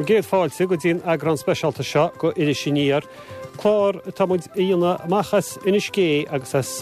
Bhur gcéad fáilte go dtí an eagrán speisialta seo go Iris Aniar, clár atá muid a dhéanamh amach as Inis Gé agus as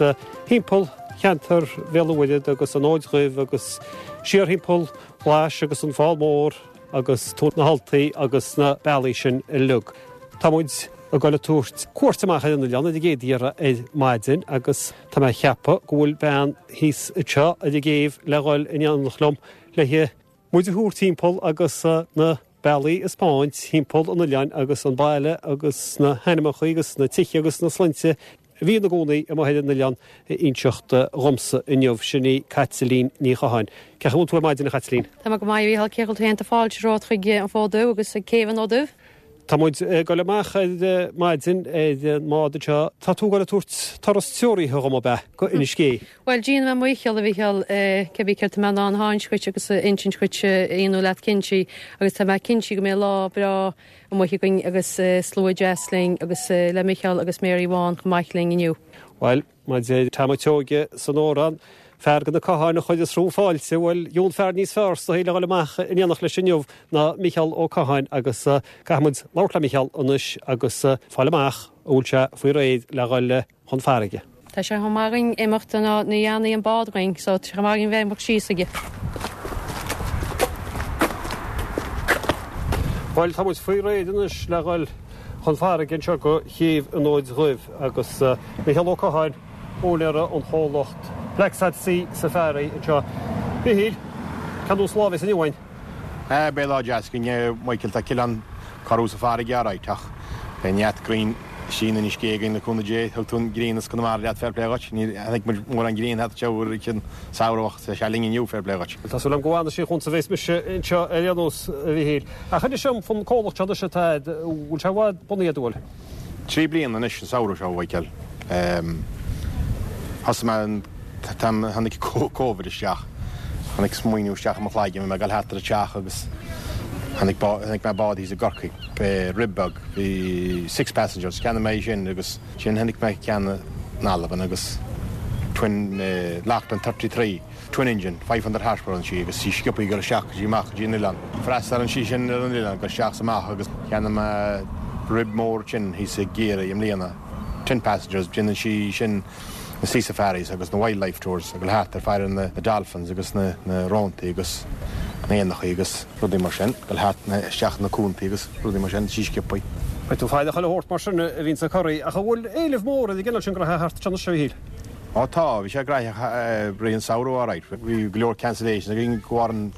thimpeall cheantar Bhéal an Mhuirthead agus an Fhóid Dhuibh agus siar thimpeall Ghlais agus an Fál Mór agus Tóin na hAltaí agus na bealaí sin uilig. Tá muid ag dul ag tabhairt cuairt amach ar an oileán ar an gcéad iarraidh ar maidin agus tá mé ag ceapadh go bhfuil bean thíos anseo ar an gcéibh le dhul in éineacht liom le muid a thabhairt timpeall agus na bealaí a 'speáint thimpeall an oileáin agus an baile agus na hainmneacha agus na tithe agus na sloinnte a bhí ina gcónaí amuigh ar an oileán a inseacht dhomsa inniu. Sin í Caitlín Ní Chatháin. Cén chaoi a bhfuil tú ar maidin, a Chaitlín? Tá mé go maith, a Mhícheáil. Cén chaoi a bhfuil tú féin? Tá fáilte romhat chuig an Fód Dubh agus ag Céibh an Fhóid Duibh. Tá muid ag dul amach ar maidin ar an mbád anseo. Tá tú ag dul ag tabhairt turas treoraithe dhom, ab ea, go Inis Gé? Bhuel, déanfaidh mé mo dhícheall, a Mhícheáil, cibé céard tá mé in ann a insint dhuit agus a insint dhuit, aonú leat cinnte, agus tá mé cinnte go mbeidh lá breá amuigh againn agus slua deas linn agus le Micheál agus Mary Bhán chomh maith linn inniu. Bhuel, Mar a deir Tom a' tSeoighe san amhrán, fear de na Catháin a chuireas romham fáilte, bhuel, gheobhainn fear níos fearr sa saol a dhul amach in éineacht leis inniu ná Micheál Ó Catháin agus caithfidh muid labhairt le Micheál anois agus fáil amach an bhfuil sé faoi réir le dhul chun farraige. Tá sé chomh maith againn imeacht ná ní dhéanfaidh an bád againn so tá sé chomh maith againn bheith imeacht síos aige. Bhuel, tá muid faoi réir anois le dhul chun farraige anseo go Chéibh an Fhóid Dhuibh agus Micheál Ó Catháin, úinéara an chomhlacht Blacksad Sea Safari anseo. Mhichíl, cén nós lá a bheas inniu againn? Beidh lá deas againn, a Mhichíl. Tá Cileán corrú sa bhfarraige alright ach beidh neart grian istigh in Inis Gé againn le cúnamh Dé. Thug tú an ghrian as Conamara leat, fair play dhuit. Níor chonaic muid mórán grian thart anseo i rith an samhradh ach tá sé linn inniu, fair play dhuit. Tá súil agam go bhfanfaidh sí chugamsa bheas mise anseo ar aon nós, a Mhichíl. Ach inis dom fán comhlacht seo anois atá agat, bhfuil sé i bhfad bunaithe agat, an bhfuil? 3 bliana anois an samhradh seo, a Mhichíl. Thosaigh mé an t-am a tháinig Covid isteach. Tháinig smaoineamh isteach i mo chloigeann, bhí mé ag dul thart ar an teach agus tháinig chonaic mé bád thíos i gCorcaigh, rib beag, bhí six passengers, cheannaigh mé í sin agus ansin chonaic mé ceann in Albain agus twin Lachlan 33. Twin engine, 500 horsepower ann sí agus í sciobtha ag dul isteach go dtí amach go dtí an oileán. Freastalaíonn sí sin ar an oileán, dul isteach is amach agus cheannaigh mé rib mór ansin thíos i gCiarraí i mbliana, ten passengers, déanann sí sin na sea safaris agus na wildlife tours ag dul thart ag faire na dolphins agus na róntaí agus na éanachaí agus rudaí mar sin, dul thart isteach na cuantaí agus rudaí mar sin, sí sciobtha. Beidh tú ag faire chuile shórt mar sin a bhíonns ag corraí ach an bhfuil éileamh mór ar an gcineál sin graithe thart anseo anois a Mhichíl? Ó tá, bhí sé graitheach rith an samhradh alright. Bhí go leor cancellations againn de bharr an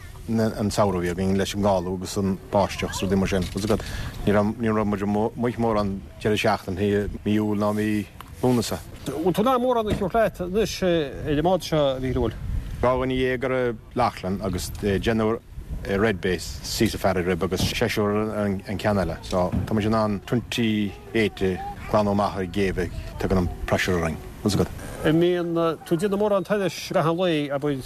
samhradh a bhí againn leis an gcalú agus an báisteach is rudaí mar sin. Tá's agat, ní raibh, ní raibh muid amuigh mórán deireadh seachtaine i mí Iúil ná mí Lúnasa. Bhfuil tú in ann mórán a thabhairt leat anois ar an mbád seo, a Mhíchíl, an bhfuil? 12 ar an Lachlan agus deichniúr ar Red Base, Sea Safari Rib agus seisear ar an ceann eile. So tá muid in ann 28 a ghlanadh amach ar an gcéibh ag tugann an pressure orainn. Tá's agat. An mbíonn tú ag déanamh mórán turais gach aon lae, abair,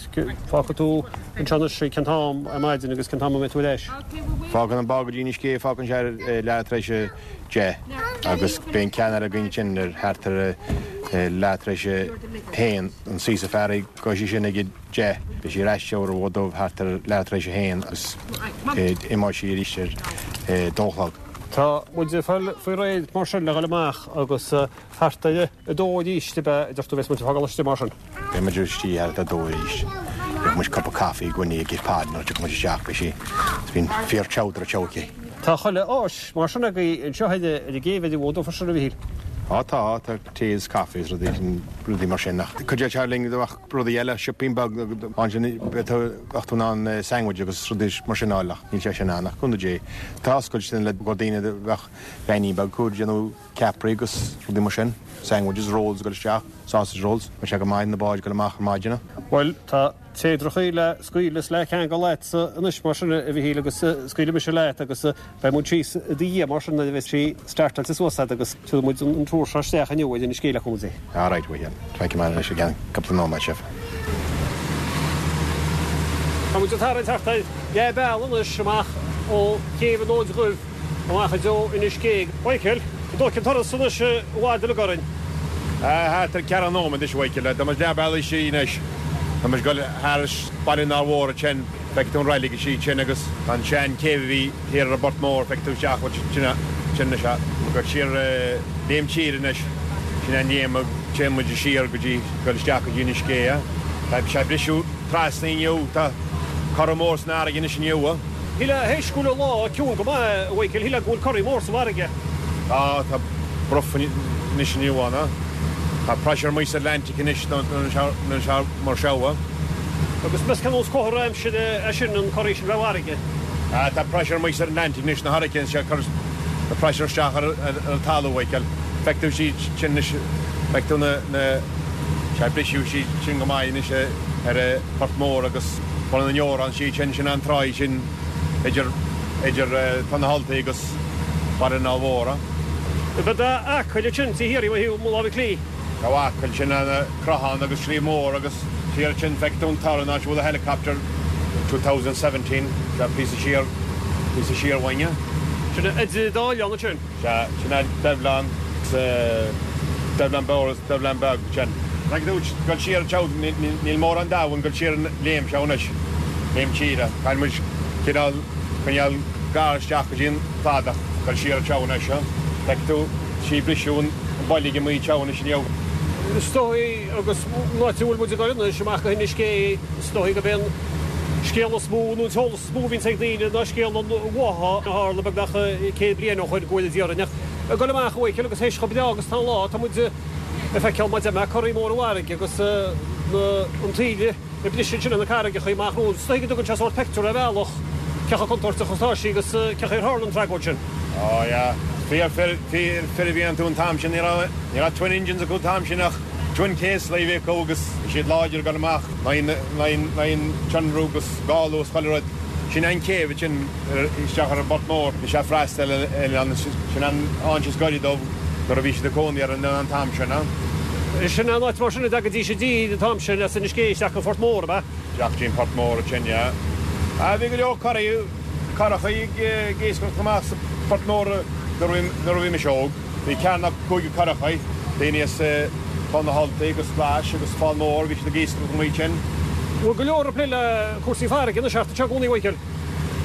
fágfaidh tú anseo anois cén t-am ar maidin agus cén t-am a mbeidh tú ar ais? Fágann an bád go dtí Inis Gé, fágann sé ar leath tar éis a 10 agus beidh an ceann eile againn ansin ar thart ar leath tar éis a haon, an Sea Safari, gabhfaidh sí sin ag a 10. Beidh sí ar ais ar an bhFód Dubh thart ar leath tar éis a haon agus imeoidh sí arís ar dó a chlog. Tá muid ag fáil faoi réir mar sin le dhul amach agus thart ar a dó arís ab ea a deir tú bheas muid ag fágáil istigh mar sin. Beidh muid istigh thart ar a dó arís. Gheobhaidh muid cupa caife i gcoinne ag Pod nuair a tiocfaidh muid isteach beidh sí bíonn fíor chowder anseo aici. Tá chuile áis mar sin agaibh anseo ar an gcéibh ar an bhFód Dubh freisin a Mhichíl. Á tá, tá tae is caife is rudaí mar sin ach cuideoidh sé linn do bheadh rudaí eile, siopaín beag ansin bheadh tú in ann sandwich agus rudaí mar sin a fháil ach níl sé sin ann ach cúnamh Dé. Tá oscailte le go daoine a bheadh veainín beag acu ag déanamh ceapairí agus rudaí mar sin, sandwiches, rolls ag dul isteach, sausage rolls, bheadh sé go maith na báid ag dul amach ar maidin. Bhuel, tá téadrachaí le scaoileadh is le ceangal agatsa anois mar sin, a Mhichíl, agus scaoilfidh mise leat agus beidh muid síos i do dhiaidh mar sin nuair a bheas sí startáilte suas agat agus tabharfaidh muid an tour seo isteach inniu ar Inis Gé le cúnamh Dé. All right, a Mhichíl. Feicfidh mé anois i gceann cúpla nóiméad sibh. Tá muid ag tarraingt thart ar leath bealaigh anois amach ó chéibh an Fhóid Dhuibh. Amach i dtreo Inis Gé. Michael, an dtógfaidh an turas anois i bhfad uilig orainn? Thart ar ceathracha nóiméad anois, a Mhichíl. Tá muid leath bealaigh istigh anois. Tá muid ag dul thairis Baile an Fheá Mhóir ansin. Feicfidh tú an reilig istigh ansin agus tá an sean céibh a bhí thiar ar an bPort Mór, feicfidh tú isteach sin sin anois a. Ag dul siar léim tíre anois, sin an léim a téann muid siar go dtí, dul isteach go dtí Inis Gé. Tá sé ag briseadh trasna inniu, tá corra mór san fharraige anois inniu. Shílfeá théis go bhfuil an lá ciúin go maith, a Mhichael, shílfeá go bhfuil corraí mór sa bhfarraige. Tá, tá bruth anois inniu ann. Tá pressure amuigh sa Atlantic anois nuair atá mar seo. Agus meas cén nós comhartha aimsire é sin, an corraí sin bheith i bhfarraige? Tá pressure amuigh sa Atlantic anois, na hurricanes seo ag cur na pressure isteach ar an talamh, a Mhichael. Feicfidh tú siad sin anois, feicfidh tú na, na, sé ag briseadh siad sin go maith anois ar an Phort Mór agus Bun na nDeorán siad sin, sin an tráigh sin idir, idir Tóin na hUltaí agus Baile an Fháil Mhór. Beidh Acaill ansin taobh thiar ó thaobh mo láimhe clí. Tá Acaill, sin an Crochán agus Sliabh Mór agus thiar ansin feicfidh tú an tor an áit a bhfuil an helicopter 2017, sea píosa siar, píosa siar uainne. Sin an dá oileán ansin. Sea, sin é Duibhleán agus Duibhleán Mhór agus Duibhleán Beag ansin. Feicfidh tú dul siar anseo, níl mórán domhain dul siar an léim seo anois, léim tíre. Caithfidh muid cineál coinneáil gar isteach go dtí an cladach dul siar anseo anois. Feicfidh tú sí ag briseadh an boilg amuigh anseo anois inniu. Is dóigh, agus an áit a bhfuil muid ag dul anois, amach go hInis Gé, is dóigh gurb é an scéal is mó nó an t-eolas is mó a bhíonns ag daoine ná scéal an bhátha a tharla beagnach 100 bliain ó shoin go bhfuil a d'iarraidh. Ach ag dul amach, a Mhichíl, agus théis chomh breá agus tá an lá, tá muid ag feiceáil mar a deir mé, corraí mór i bhfarraige agus an taoille ag briseadh ansin ar na carraigeacha amach romhainn. Is dóigh go dtugann sé sórt pictiúr ar bhealach cé chomh contúirteach is atá sí agus cé chaoi ar tharla an tragóid sin. Ó yeah, fíor fir, fíor fir a bhí iontu an t-am sin, ní raibh, ní raibh twin engines acu an t-am sin ach twin case a bhí acu agus bhí siad láidir ag dul amach in aghaidh an tionrú agus gála agus chuile rud. Sin an céibh ansin isteach ar an bPort Mór, bhí sé ag freastal ar an oileán, sin an áit is gaire dóibh nuair a bhí siad ag cónaí ar an oileán an t-am sin. Sin an áit mar sin a dtagaidís i dtír an t-am sin as Inis Gé isteach go Phort Mór, ab ea? Isteach dtí an Port Mór ansin, yeah. Ah, bhí go leor curraí, curachaí ag iascaireacht amach sa Phort Mór nuair a bhí mise óg. Bhí ceathair nó cúigear curachaí, daoine as Tóin na hUltaí agus Glais agus Fál Mór, bhí siad ag iascaireacht amuigh ansin. Bhfuil go leor ag plé le cúrsaí farraige anois thart anseo i gcónaí, a Mhichíl?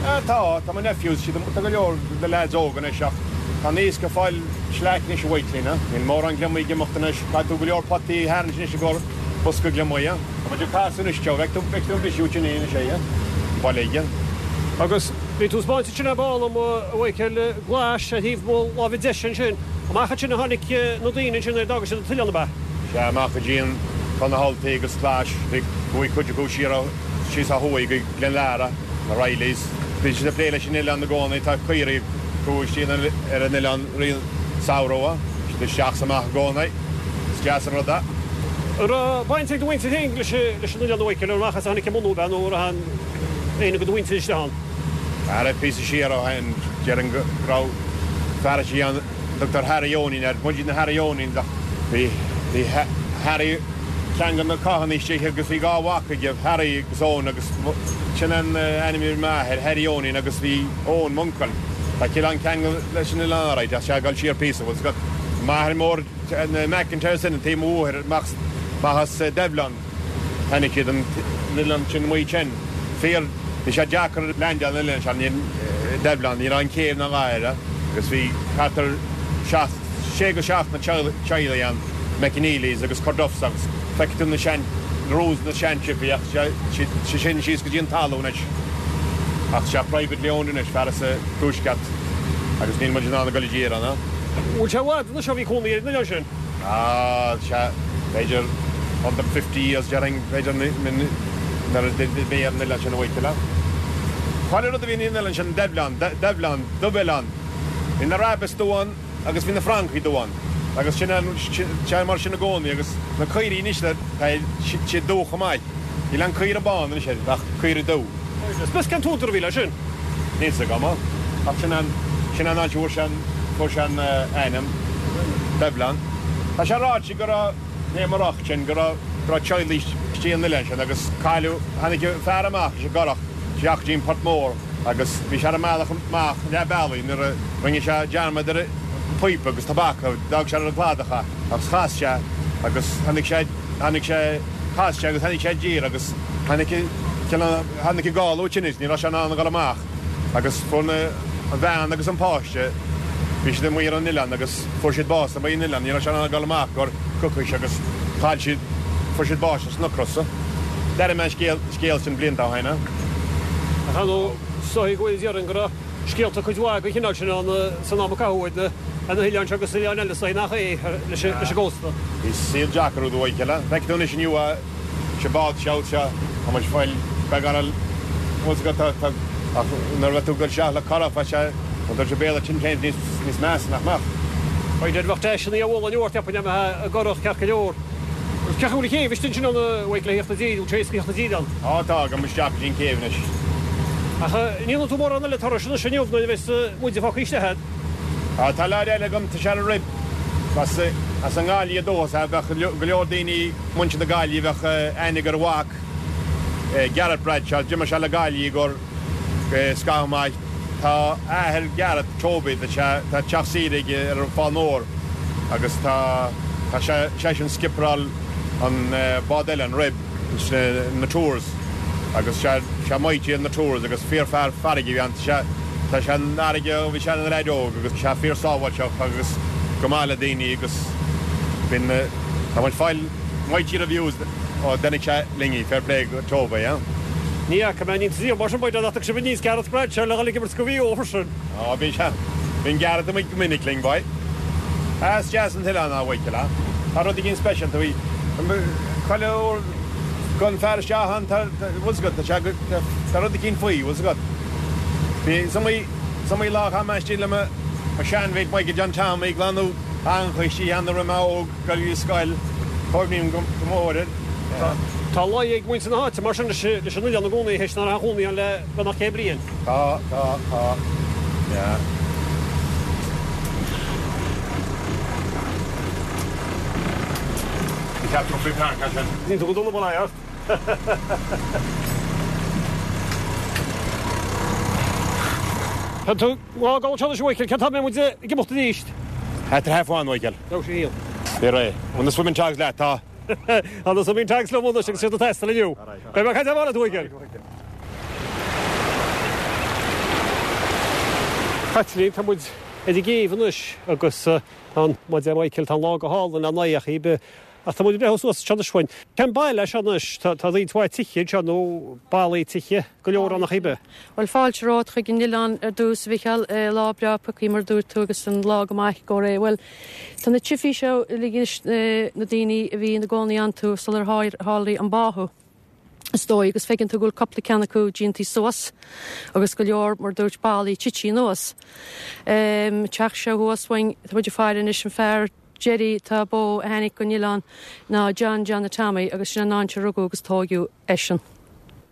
Ah, tá, tá mo nephews, siad, tá go leor de leaids óga anois ach tá an iasc ag fáil slack anois a Mhichíl, níl mórán gliomaigh ag imeacht anois, caithfidh tú go leor potaí a tharraingt anois i gcomhair bosca gliomaigh. Tá muid ag casadh anois, Joe, bhfeic tú, bhfeic tú an briseadh sin anois é, an boilg. Agus bhí tú ag 'spáint ansin ar ball dom, a Mhichíl, Glais ar thaobh mo láimhe deise ansin. Amach ansin a tháinig na daoine ansin nuair a d'fhága siad an t-oileán, ab ea? Sea, amach go dtí an Tóin na hUltaí agus Glais. Bhí, chuaigh cuid acu siar ó, síos ó thuaidh go Gleann Lara, na Rileys. Bhí siad ag plé leis an oileán i gcónaí, tá caoirigh acu istigh ar an oileán i rith an samhradh. Bhí siad isteach is amach i gcónaí. Is deas an rud é. An raibh baint ag do mhuintir féin leis an oileán a Mhichíl, ar amach as a tháinig a mbunú, ab ea, nó an raibh éinne de do mhuintir istigh ann? Ara píosa siar ó shin, déarfainn go raibh fear istigh ann a dtugtar Harry Eoinín air, muid na Harry Eoinín ach bhí bhí Harry ceann de na Cathánaigh istigh agus bhí dhá mhac aige, Harry agus Eoin agus sin an ainm a bhí ar m'athair, Harry Eoinín agus bhí Eoin, m'uncail, tá cineál ceangal leis an oileán alright ach sea ag dul siar píosa, bhfuil 's agat, m'athair mór na McIntyres sin, an taobh mo mháthair, amach as Duibhleán. Tháinig siad an oileán sin amuigh ansin. Fíor, bhí sé deacair leaindeáil an oileán sin, Duibhleán, ní raibh an céibh ná a dhath air agus bhí thart ar sheacht, sé go seacht na teaghlaigh ann, McNeelys agus Corduffs agus feicfidh tú na sean, na roofs na sean siopaí ach sé sin síos go dtí an talamh anois. Ach sé privately owned anois, fear as an tuaisceart agus níl muid in ann a goil i dtír ann. Bhfuil sé i bhfad anois ó bhí cónaí ar an oileán sin? Ah, sea, b'fhéidir 150 years déarfainn, b'fhéidir nuair a d'fhill mé ar an oileán sin a Mhichíl. Chuile rud a bhí ar an oileán sin, Duibhleán, Duibhleán, Dubh-Oileán. Bhí na rabbits dubh ann agus bhí na francaigh dubh ann agus sin é mar sin i gcónaí agus na caoirigh anois tá siad dubh chomh maith. Níl aon caora bán anois ach caora dubh. Meas cén t-údar a bhí leis sin? Níl 's agam. Ach sin an, sin an áit a bhfuair sé an, fuair sé an ainm, Duibhleán. Tá sé ráite go raibh, léim an roc sin, go raibh, go raibh teaghlaigh istigh an oileán sin agus cailleadh, tháinig fear amach leis an gcurach isteach go dtí an Port Mór agus bhí sé ar an mbealach amach leath bealaigh nuair a rinne sé dearmad ar an phíopa agus tobac, d'fhág sé ar an gcladach é agus chas sé agus tháinig sé, tháinig sé, chas sé agus tháinig sé i dtír agus tháinig an. Tháinig an gála tinnis, ní raibh sé in ann a dhul amach agus fuair na, an bhean agus an páiste, bhí siad amuigh ar an oileán agus fuair siad bás amuigh ar an oileán, ní raibh sé in ann a dhul amach gur coicís agus chaill siad, fuair siad bás as an ocras. D'airigh mé an scéal, scéal sin blianta ó shin. Ach ar ndóigh, is dóigh go bhfuil déarfainn go raibh scéalta cuid mhaith den chineál sin ann san am a caitheadh ar na hoileáin seo agus oileáin eile is dóigh nach é leis an gcósta. Bhí saol deacair úd uaidh a chéile. Feicfidh tú anois inniu é. Sé bád seo seo tá muid fáil beagán al bhfuil 's agat tá tá ach nuair a bheadh tú ag dul isteach le curach bheadh sé an dul sé béal an tsin féin níos níos measa nach mbeadh? Right bheadh deiseanna a bhualadh inniu ort cheapfainn dá mbeifeá i gcurach ceart go leor. Cén chaoi a bhfuil an chéibh istigh ansin ann a Mhichael le theacht i dtír, bhfuil sé éasca theacht i dtír ann? Á tá, gabhfaidh muid isteach go dtí an chéibh anois. Ach an ndéanfaidh tú mórán eile turais anois inniu nuair a bheas muide fágtha istigh agat? Á tá leaid eile agam tá sé ar an RIB as as an nGaillimh ó dhúchas é bheadh go leor daoine Muintir na Gaillimhe bheadh aithne ag ar a mhac, Gareth Bradshaw, d'imir sé le Gaillimh i gcomhair scaitheamh maith. Tá athair Gareth, Toby, tá sé, tá teach saoire aige ar an Fál Mór agus tá, tá sé, seisean skiperáil an bád eile, an Rib, na Tours agus sé, sé mighty ar na Tours agus fíor-fhear farraige a bhí ann. Tá sé, tá sé san fharraige ó bhí sé ina leaid óg agus sé fíor-sábháilteach agus go maith le daoine agus bíonn. Tá muid fáil mighty reviews ó d'imigh sé linn í, fair play go Toby, eh? Ní fhaca mé an iontas riamh mar sin, b'fhéidir nach dtug sibh aníos Gareth Bradshaw le dhul ag imirt go Mhaigh Eo freisin. Á, bhí sé. Bíonn Gareth amuigh go minic linn, boy. Ah, is deas an t-oileán a Mhichíl, ah. Tá rud éigin speisialta faoi. Chuile uair go dtéann fear isteach ann, tá, bhfuil 's agat, tá sé go, tá rud éigin faoi, bhfuil 's agat. Bhí, is iomaí, is iomaí lá a chaith mé istigh le mo, mo sheanmhate Michael John Tommy ag glanadh Eangacha istigh ann nuair a bhí mé óg, ag dul go scoil, cuimhním go mór air. Tá luí ag muintir na háite mar sin leis an oileán i gcónaí, théis nach raibh aon chónaí ann le beagnach 100 bliain. Tá, tá, tá, yeah. Ní cheart tú faoi pheann, sin. Níl tú go dona bunaithe ort. Tá tú Lá go seo anois a Mhichíl, cén t-am a mbeidh muid ag imeacht arís? At half one, a Mhichíl. Raibh sé thíos. Bí réidh. Bhfuil na swimming togs leat, tá. Tá na swimming togs liom anois agus iad ag teastáil inniu. Beidh mé ag caint ar ball leat, a Mhichíl. Caitlín, tá muid ar an gcéibh anois agus tá an, mar a deir Michael, tá an lá go hálainn le n-aghaidh ar bith. Ach tá muid ag breathnú suas anseo anois uainn. Cén baile é seo anois? Tá roinnt mhaith tithe anseo nó ballaí tithe go leor ann ach ar bith. Bhuel, fáilte romhat chuig an oileán ar dtús, a Mhichíl. Lá breá pioctha mar a dúirt tú agus an lá go maith go réidh. Bhuel, tá na tifí seo uilig anois, na daoine a bhí ina gcónaí iontu sular tharlaigh an báthadh, is dóigh, agus feiceann tú go bhfuil cúpla ceann acu déantaí suas agus go leor, mar a dúirt, ballaí tití anuas. Teach seo thuas uainn, tá muid ag faire anois an fear, deiridh atá beo a tháinig go an oileán ná John Johnny Tommy agus sin an áit a rugadh agus tóigeadh eisean.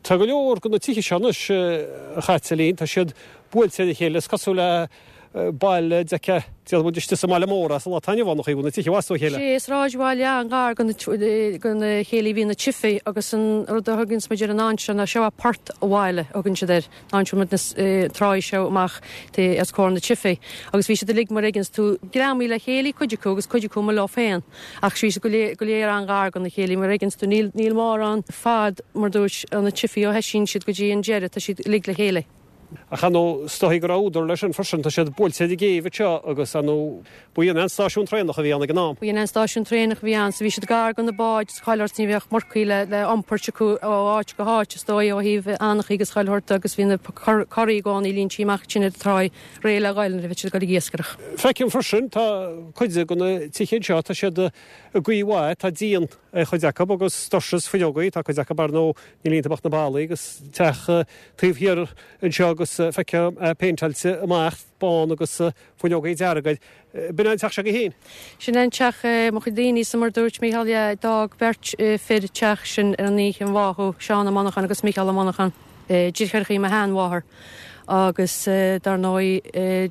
Tá go leor de na tithe seo anois, a Chaitlín, tá siad buailte ar a chéile, is cosúil le baile d'fheicfeá, déarfaidh muid istigh sa mbaile mór as an lá atá inniu ann, an chaoi a bhfuil na tithe i bhfad ó chéile. Sea, sráidbhaile an-ghar do na chéilí a bhí na tifí agus an rud a thuganns muid ar an áit seo ná seo é Port a' Bhaile a thugann siad air. An áit a bhfuil muid na tráigh seo amach os comhair na tifí agus bhí siad uilig mar a fheiceanns tú greamaithe le chéile cuid acu agus cuid acu amuigh leo féin ach bhí siad go léir go léir an-ghar dona chéile mar a fheiceanns tú níl níl mórán fad mar dúirt ó na tifí ó thoisíonn siad go dtí an deireadh tá siad uilig le chéile. Ach ar ndóigh is dóigh go raibh údar leis sin freisin tá siad buailte ar an gcéibh anseo agus ar ndóigh Ba í an stáisiún traenach a bhí ann ag an am. Ba í an stáisiún traenach a bhí ann so bhí siad gar do na báid is chuile shórt ní bheadh marcaí le le iompairt acu ó áit go háit is dóigh ó thaobh eangachaí agus chuile shórt agus bhí na curaí i gcónaí líntí amach ansin ar an tráigh réidh le ghoil nuair a bhí siad ag dul ag iascaireacht. Feicim freisin tá cuid de na tithe anseo tá siad i gcaoi mhaith tá díon ar chuid acu agus doirse is fuinneogaí tá cuid acu ar ndóigh níl iontu ach na ballaí agus teach taobh thiar anseo agus feicim é péinteáilte amach bán agus Fuinneogaí dearga air. B'in é an teach seo agaibh féin? Sin é an teach, mo chuid daoine sa mar dúirt Mícheál yeah, d'fhág beirt fir teach sin ar an oíche an bháthadh, Seán Ó Monacháin agus Mícheál Ó Monacháin, deartháireachaí mo sheanmháthar agus dar ndóigh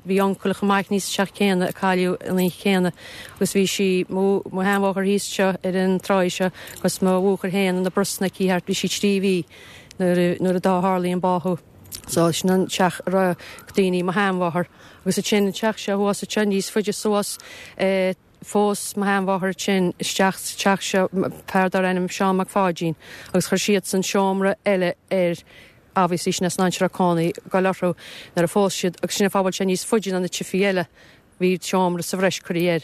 bhí uncail chomh maith thíos sa teach céanna a cailleadh an oíche chéanna agus bhí sí, mo sheanmháthair thíos anseo ar an tráigh seo agus mo bhuachaill féin ina brosna aici thart, bhí sí 3 mhí nuair a tharlaigh an báthadh. So sin an teach a raibh daoine, mo sheanmháthair. Agus ansin an teach seo thuas anseo níos faide suas. Phós mo sheanmháthair ansin isteach sa teach seo fear darbh ainm Seán Mac Pháidín agus chuir siadsan seomra eile air obviously sin as an áit a raibh cónaí ag goil orthu nuair a phós siad agus sin an fáth a bhfuil sé níos faide ná na tifí eile. Bhí seomra sa bhreis curtha air.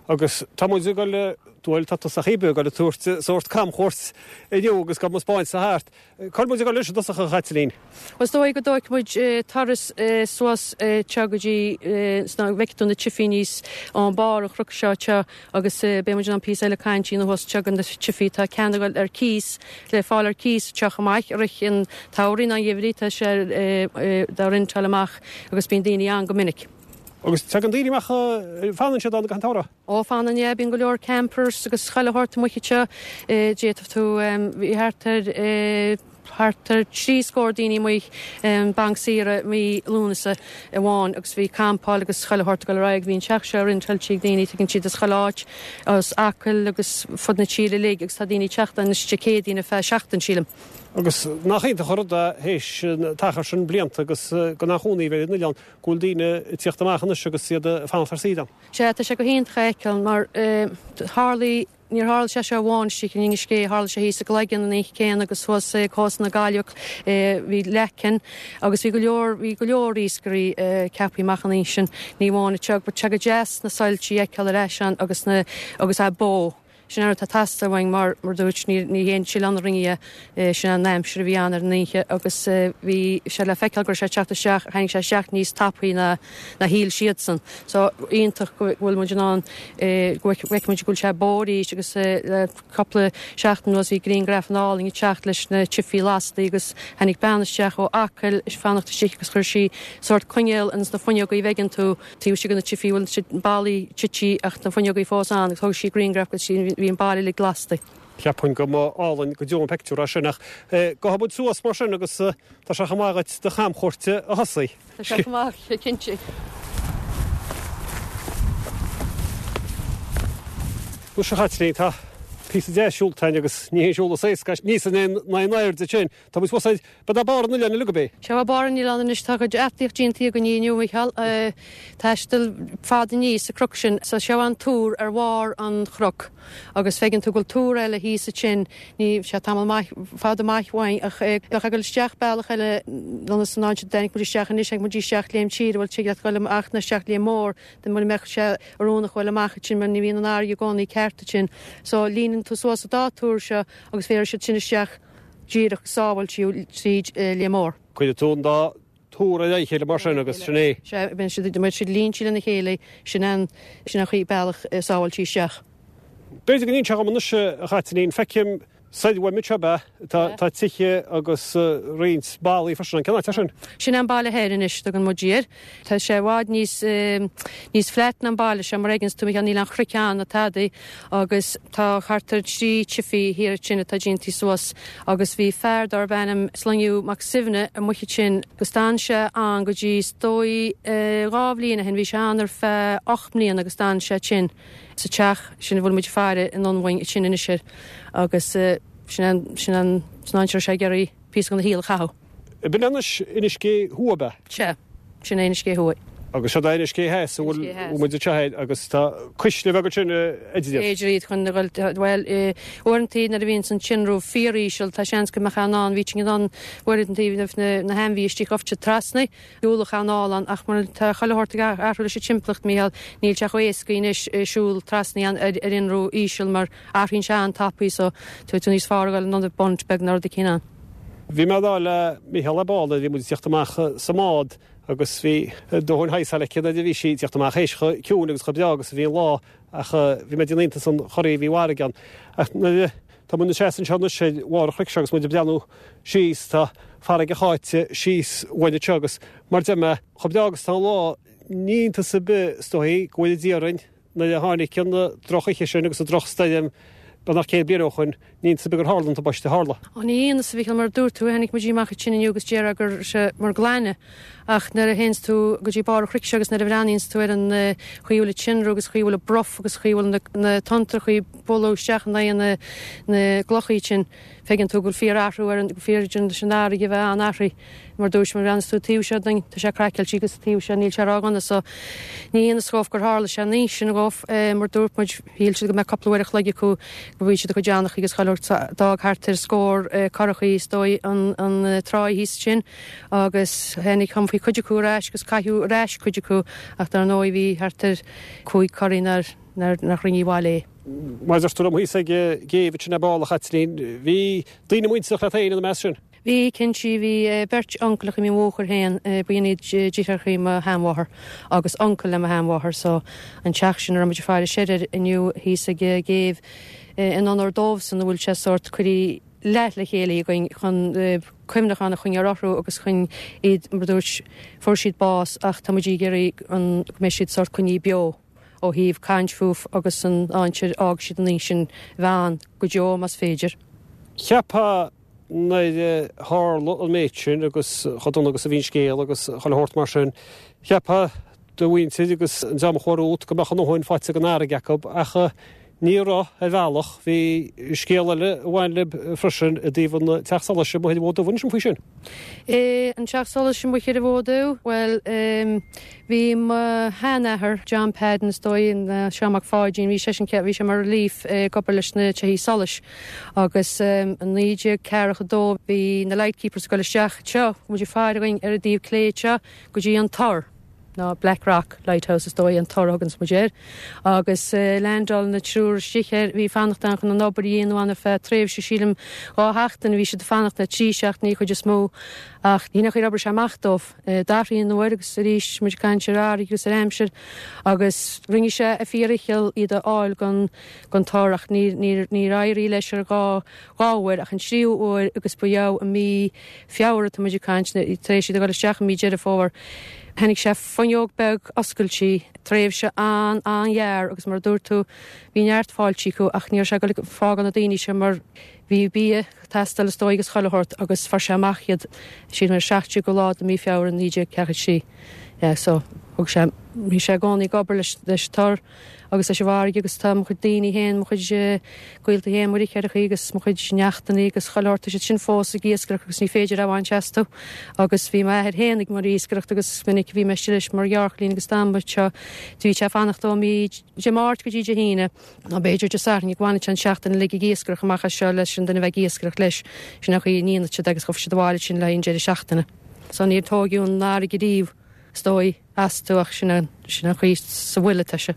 Agus tá muid ag goil, bhuel tá tusa cibé ag goil ag tabhairt sórt camchuairt inniu agus gabh mo spáint thart. Cá bhfuil muid ag goil anois i dtosach a Chaitlín? Bhuel is dóigh go dtógfaidh muid turas suas anseo go dtí sna, bhfeicfidh tú na tifí níos ón barr an chnoic seo anseo agus beidh muid in ann píosa eile caint a dhéanamh thuas anseo go na tifí. Tá ceann ag goil ar cíos, le fáil ar cíos anseo chomh maith i rith an tsamhraidh ná an gheimhridh tá sé dá rentáil amach agus bíonn daoine ann go minic. Agus tagann daoine amach, fanann siad ann i gcaitheamh an tsamhraidh? Ó, fanann, yeah, bíonn go leor campers agus chuile shórt amuigh anseo. D'fhéadfadh tú, bhí thart ar, thart ar thrí scór daoine amuigh an banc saoire mí Lúnasa amháin agus bhí campáil agus chuile shórt ag dul ar aghaidh. Bhí an teach seo rentáilte ag daoine, tagann siad as chuile áit, as Acaill agus fud na tíre uilig agus tá daoine ag teacht anois Dé Céadaoin ar feadh seachtain, sílim. Agus nach iontach an rud é théis an t-achar sin blianta agus gan aon chónaí a bheith ar an oileán, go bhfuil daoine ag tíocht amach anois agus iad ag fanacht ar saoire ann. Sea, tá sé go hiontach a fheiceáil mar tharlaigh, níor tharla sé seo amháin istigh in Inis Gé, tharla sé thíos i gCloigeann an oíche céanna agus thuas ag cósta na Gaillimhe, bhí Leacain agus bhí go leor, bhí go leor iascairí ceaptha amach an oíche sin, ní amháin anseo, but tá sé go deas na soilsí a fheiceáil ar ais ann agus na, agus é bó. Sin an rud atá ag teastáil uainn mar, mar a dúirt, ní, ní haon sileán a rinne é, sin an aimsir a bhí ann ar an oíche agus bhí sé le feiceáil go raibh sé ag teacht isteach, tháinig sé isteach níos tapaí ná, ná shíl siadsan. So, iontach go bhfuil muid in ann, go bhfeiceann muid go bhfuil sé bó arís agus le cúpla seachtain anuas bhí grianghrafanna álainn ag teacht leis na tifí lasta agus tháinig bean isteach ó Acaill ag fanacht istigh agus chuir sí sórt coinneal ins na fuinneogaí a bhfeiceann tú. Taobh istigh de na tifí bhfuil siad ballaí tití ach na fuinneogaí fós ann agus thóg sí grianghraf agus bhí an baile uilig lasta. Cheapfainn go mba álainn go deo an peictiúr é sin ach gabhfaidh muid suas mar sin agus tá sé chomh maith dhuit do chamchuairt a thosaí. Tá sé chomh maith, cinnte. Anois a Chaitlín, tá píosa deas siúlta againn agus ní haon siúl is éasca é, níos ná in airde sin. Tá muid fós ar Ba é barr an oileáin uilig ab é? Seo é barr an oileáin anois. Tá cuid eachtraíocht déanta againn inniu, a Mhícheáil. Taisteal fada aníos an cnoc sin. So seo an túr ar bharr an chnoc agus feiceann tú go bhfuil túr eile thíos ansin. Ní sé tamall maith, fada maith uainn ach bheadh ag dul isteach bealach eile ionas an áit a dtáinig muid isteach anois, tháinig muid isteach Léim Tíre, bhuel tig leat dul amach nó isteach Léim Mór, dá mura mbeadh sé oiriúnach dul amach ansin mar ní bhíonn an fharraige i gcónaí ceart ansin. So líneann tú suas an dá túr seo agus bhéarfaidh siad sin isteach. díreach sábháilte tríd Léim Mór. Cuirfidh tú an dá túr ar a chéile mar sin agus sin é. Sea, bíonn siad, beidh siad línte lena chéile, sin an, sin an chaoi, bealach sábháilte isteach. B'fhéidir go n-inseofá dhom anois, a Chaitlín, feicim soir uaim anseo, ab ea? Tá, tá tithe agus roinnt ballaí freisin ann. Cén áit é sin? Sin an baile thoir anois, tugann muid air. Tá sé i bhfad níos, níos flat ná an baile seo, mar a fheiceanns tú, Mícheál, níl aon chnoic ann ná tadaí agus tá thart ar thrí tifí thiar ansin atá déantaí suas agus bhí fear darb ainm Sloinniú Mac Suibhne amuigh ansin agus d'fhan sé ann go dtí is dóigh 2 bhliain ó shin, bhí sé ann ar feadh 8 mbliana agus d'fhan sé ansin sa teach sin a bhfuil muid ag faire anonn uainn ansin anois air agus sin an, sin an, sin an áit a raibh sé ag iarraidh píosa den shaol a chaitheamh. B'in anois Inis Gé Thuaidh, ab ea? Sea, sin é Inis Gé Thuaidh. Agus seo é Inis Gé Theas a bhfuil muid anseo air agus tá cuisle bheag ansin idir iad. Idir iad chun a dhul, bhuel, uaireantaí nuair a bhíonns an t-ionramh fíoríseal tá seans go mbeadh in ann, bhí in ann uaireantaí na hainmhithe istigh ghabhailt trasna, ualach anall ann ach mar tá chuile shórt ag athrú leis an timpeallacht, Mícheál, níl sé chomh éasca anois siúl trasna ar ionramh íseal mar athraíonn sé an-tapaidh so tá tú níos fearr a dhul anonn ar bunt beag nó rud eicínt ann. Bhí mé ag rá le Mícheál ar ball nuair a bhí muid ag tíocht amach sa mbád agus bhí dóthain thaghsáil aici nuair a bhí sí ag tíocht amach théis chomh ciúin agus chomh breá agus a bhí an lá ach bhí mé ag déanamh iontas an chorraí a bhí i bhfarraige ann. Ach nuair a tá muid ina seasamh anseo anois ar bharr an chnoic seo agus muid ag breathnú síos tá farraige cháite síos uainn anseo agus mar deir mé chomh breá agus tá an lá ní iontas ar bith is dóichí go bhfóire Dia orainn Nuair a tháinig an drochoíche sin agus an drochstoirm beagnach 100 bliain ó shoin, Ní iontas ar bith gur tharla an tubaiste a tharla. Ó ní iontas a Mhichíl, mar a dúirt tú, tháinig muid amach ansin inniu agus déarfá go raibh sé mar glaine ach nuair a théanns tú go dtí barr an chnoic seo agus nuair a bhreathnaíonns tú ar an chaoi a bhfuil an tinreamh agus chaoi a bhfuil an bruth agus chaoi a bhfuil na tonntrachaí ag bualadh isteach in aghaidh na na gclochaí sin, feiceann tú go bhfuil fíor-athrú ar an, fíor leis an fharraige a bheith an-athraithe. Mar dúirt, má bhreathnaíonns tú an taobh seo dínn, tá sé craiceáilte agus an taobh seo níl sé ródhona so ní iontas dhóibh gur tharla sé an oíche sin dhóibh. Mar dúirt muid, shíl siad go mbeadh cúpla uair a chloig acu go bhí siad a chuid anchaí agus chuile shórt. D'fhág thart ar scór curachaí is dóigh an tráigh thíos ansin agus tháinig thiompaigh cuid acu ar ais agus caitheadh ar ais cuid acu ach dar ndóigh bhí thart ar chúig curaí nár nach rinne abhaile é. Mar a deir tú liom thíos ag an gcéibh ansin ar ball a Chaitlín, bhí daoine muinteartha leat féin ina measc sin? Bhí, cinnte, bhí beirt uncaileacha mo mháthair féin, b'in iad deartháireachaí mo sheanmháthar agus uncail le mo sheanmháthair so an teach sin a raibh muid ag faire soir air inniu thíos ag an gcéibh in onóir dóibhsan a bhfuil sé sórt curtha leath le chéile againn chun cuimhneachán a choinneáil orthu agus chun iad, mar a dúirt, fuair siad bás ach tá muid ag iarraidh an go mbeidh siad sórt coinnithe beo ó thaobh caint fúthu agus an áit ar fhág siad an oíche sin bheith ann go deo más féidir. Cheapfá Nuair a tharla an méid sin agus chomh dona agus a bhí an scéal agus chuile shórt mar sin, cheapfá do mhuintir agus an dream a chuaigh romhat go mbeadh a ndóthain faighte den fharraige acu ach ní raibh, ar bhealach. Bhí scéal eile a bhain libh freisin i dtaobh an teach solais amuigh ar an Bhfód Dubh. Inis dom faoi sin. An teach solais amuigh ar an bhFód Dubh? Bhuel, Bhí mo sheanathair, John Padden is dóigh, nó Seán Mac Pháidín, bhí seisean, bhí sé mar relief ag obair leis na tithí solais agus i 1942 bhí na lightkeepers ag dul isteach anseo, muid ag faire againn ar an dtaobh clé anseo go dtí an Tor, nó Black Rock Lighthouse is dóigh, an Tor a thuganns muid air, agus leaindeáil na triúr istigh air, bhí fanacht ann chun an obair a dhéanamh ann ar feadh tréimhse, sílim, 2 sheachtain a bhí siad ag fanacht, nó 3 seachtainí, chuid is mó, ach ní nach ar oibrigh sé amach dóibh. D'athraigh an uair agus arís muid ag caint ar fharraige agus ar aimsir agus rinne sé a fíordhicheall iad a fháil gon tor ach níor éirigh leis ar dhá uair ach an tríú uair agus ba ea i mí Feabhra tá muid ag caint tar éis iad a dhul isteach i mí Deireadh Fómhair tháinig sé fuinneog beag oscailte tréimhse an-an-ghearr agus mar a dúirt tú bhí neart fáilte acu ach ní raibh sé ag dul ag fágáil na daoine seo mar bhí bia teastáil is dóigh agus chuile shórt agus fuair sé amach iad sílim ar 17ú lá de mí Feabhra 1943. Yeah so thug sé, bhí sé i gcónaí ag obair leis leis an tor agus leis an bhfarraige agus tá mo chuid daoine féin, mo chuid gaolta féin, mo dheartháireachaí agus mo chuid neachtannaí agus chuile shórt, tá siad sin fós ag iascaireacht agus ní féidir a bhaint astu agus bhí m'athair féin ag mar iascaireacht agus is minic a bhí mé istigh leis mar ghearrchailín agus dá mba seo, bhí sé ag fanacht ó mí Dé Máirt go dtí Dé hAoine. Nó b'fhéidir Dé Sathairn go bhfanadh sé an tseachtain uilig ag iascaireacht amach as seo leis an duine a bheith ag iascaireacht leis. Sin an chaoi a ndéanadh siad agus ghabh siad abhaile ansin le haghaidh an deireadh seachtaine. So níor tóigeadh an fharraige riamh, is dóigh, astu ach sin an, sin an chaoi sa bhfuil atá sé.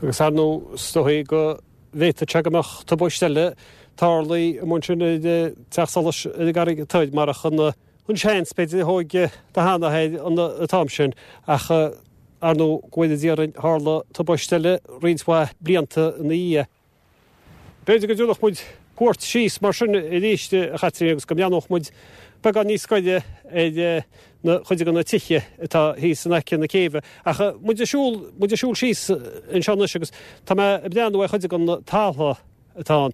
Agus ar ndóigh, is dóigh go bhféadfadh sé go mbeadh tubaist eile tarlaithe amuigh ansin ar an teach solais ar an gCarraig Toir marach an an seans, b'fhéidir, a thóg do sheanathair an t-am sin ach ar ndóigh, go bhfóire Dia orainn, tharla tubaist eile roinnt mhaith blianta ina dhiaidh. B'fhéidir go dtabharfadh muid cuairt síos mar sin arís, a Chaitlín, agus go mbreathnódh muid beagán níos gaire ar na cuid de na tithe atá thíos in aice na céibhe. Ach muid ag siúl, muid ag siúl síos anseo anois agus tá mé ag breathnú ar chuid de na taltha atá ann.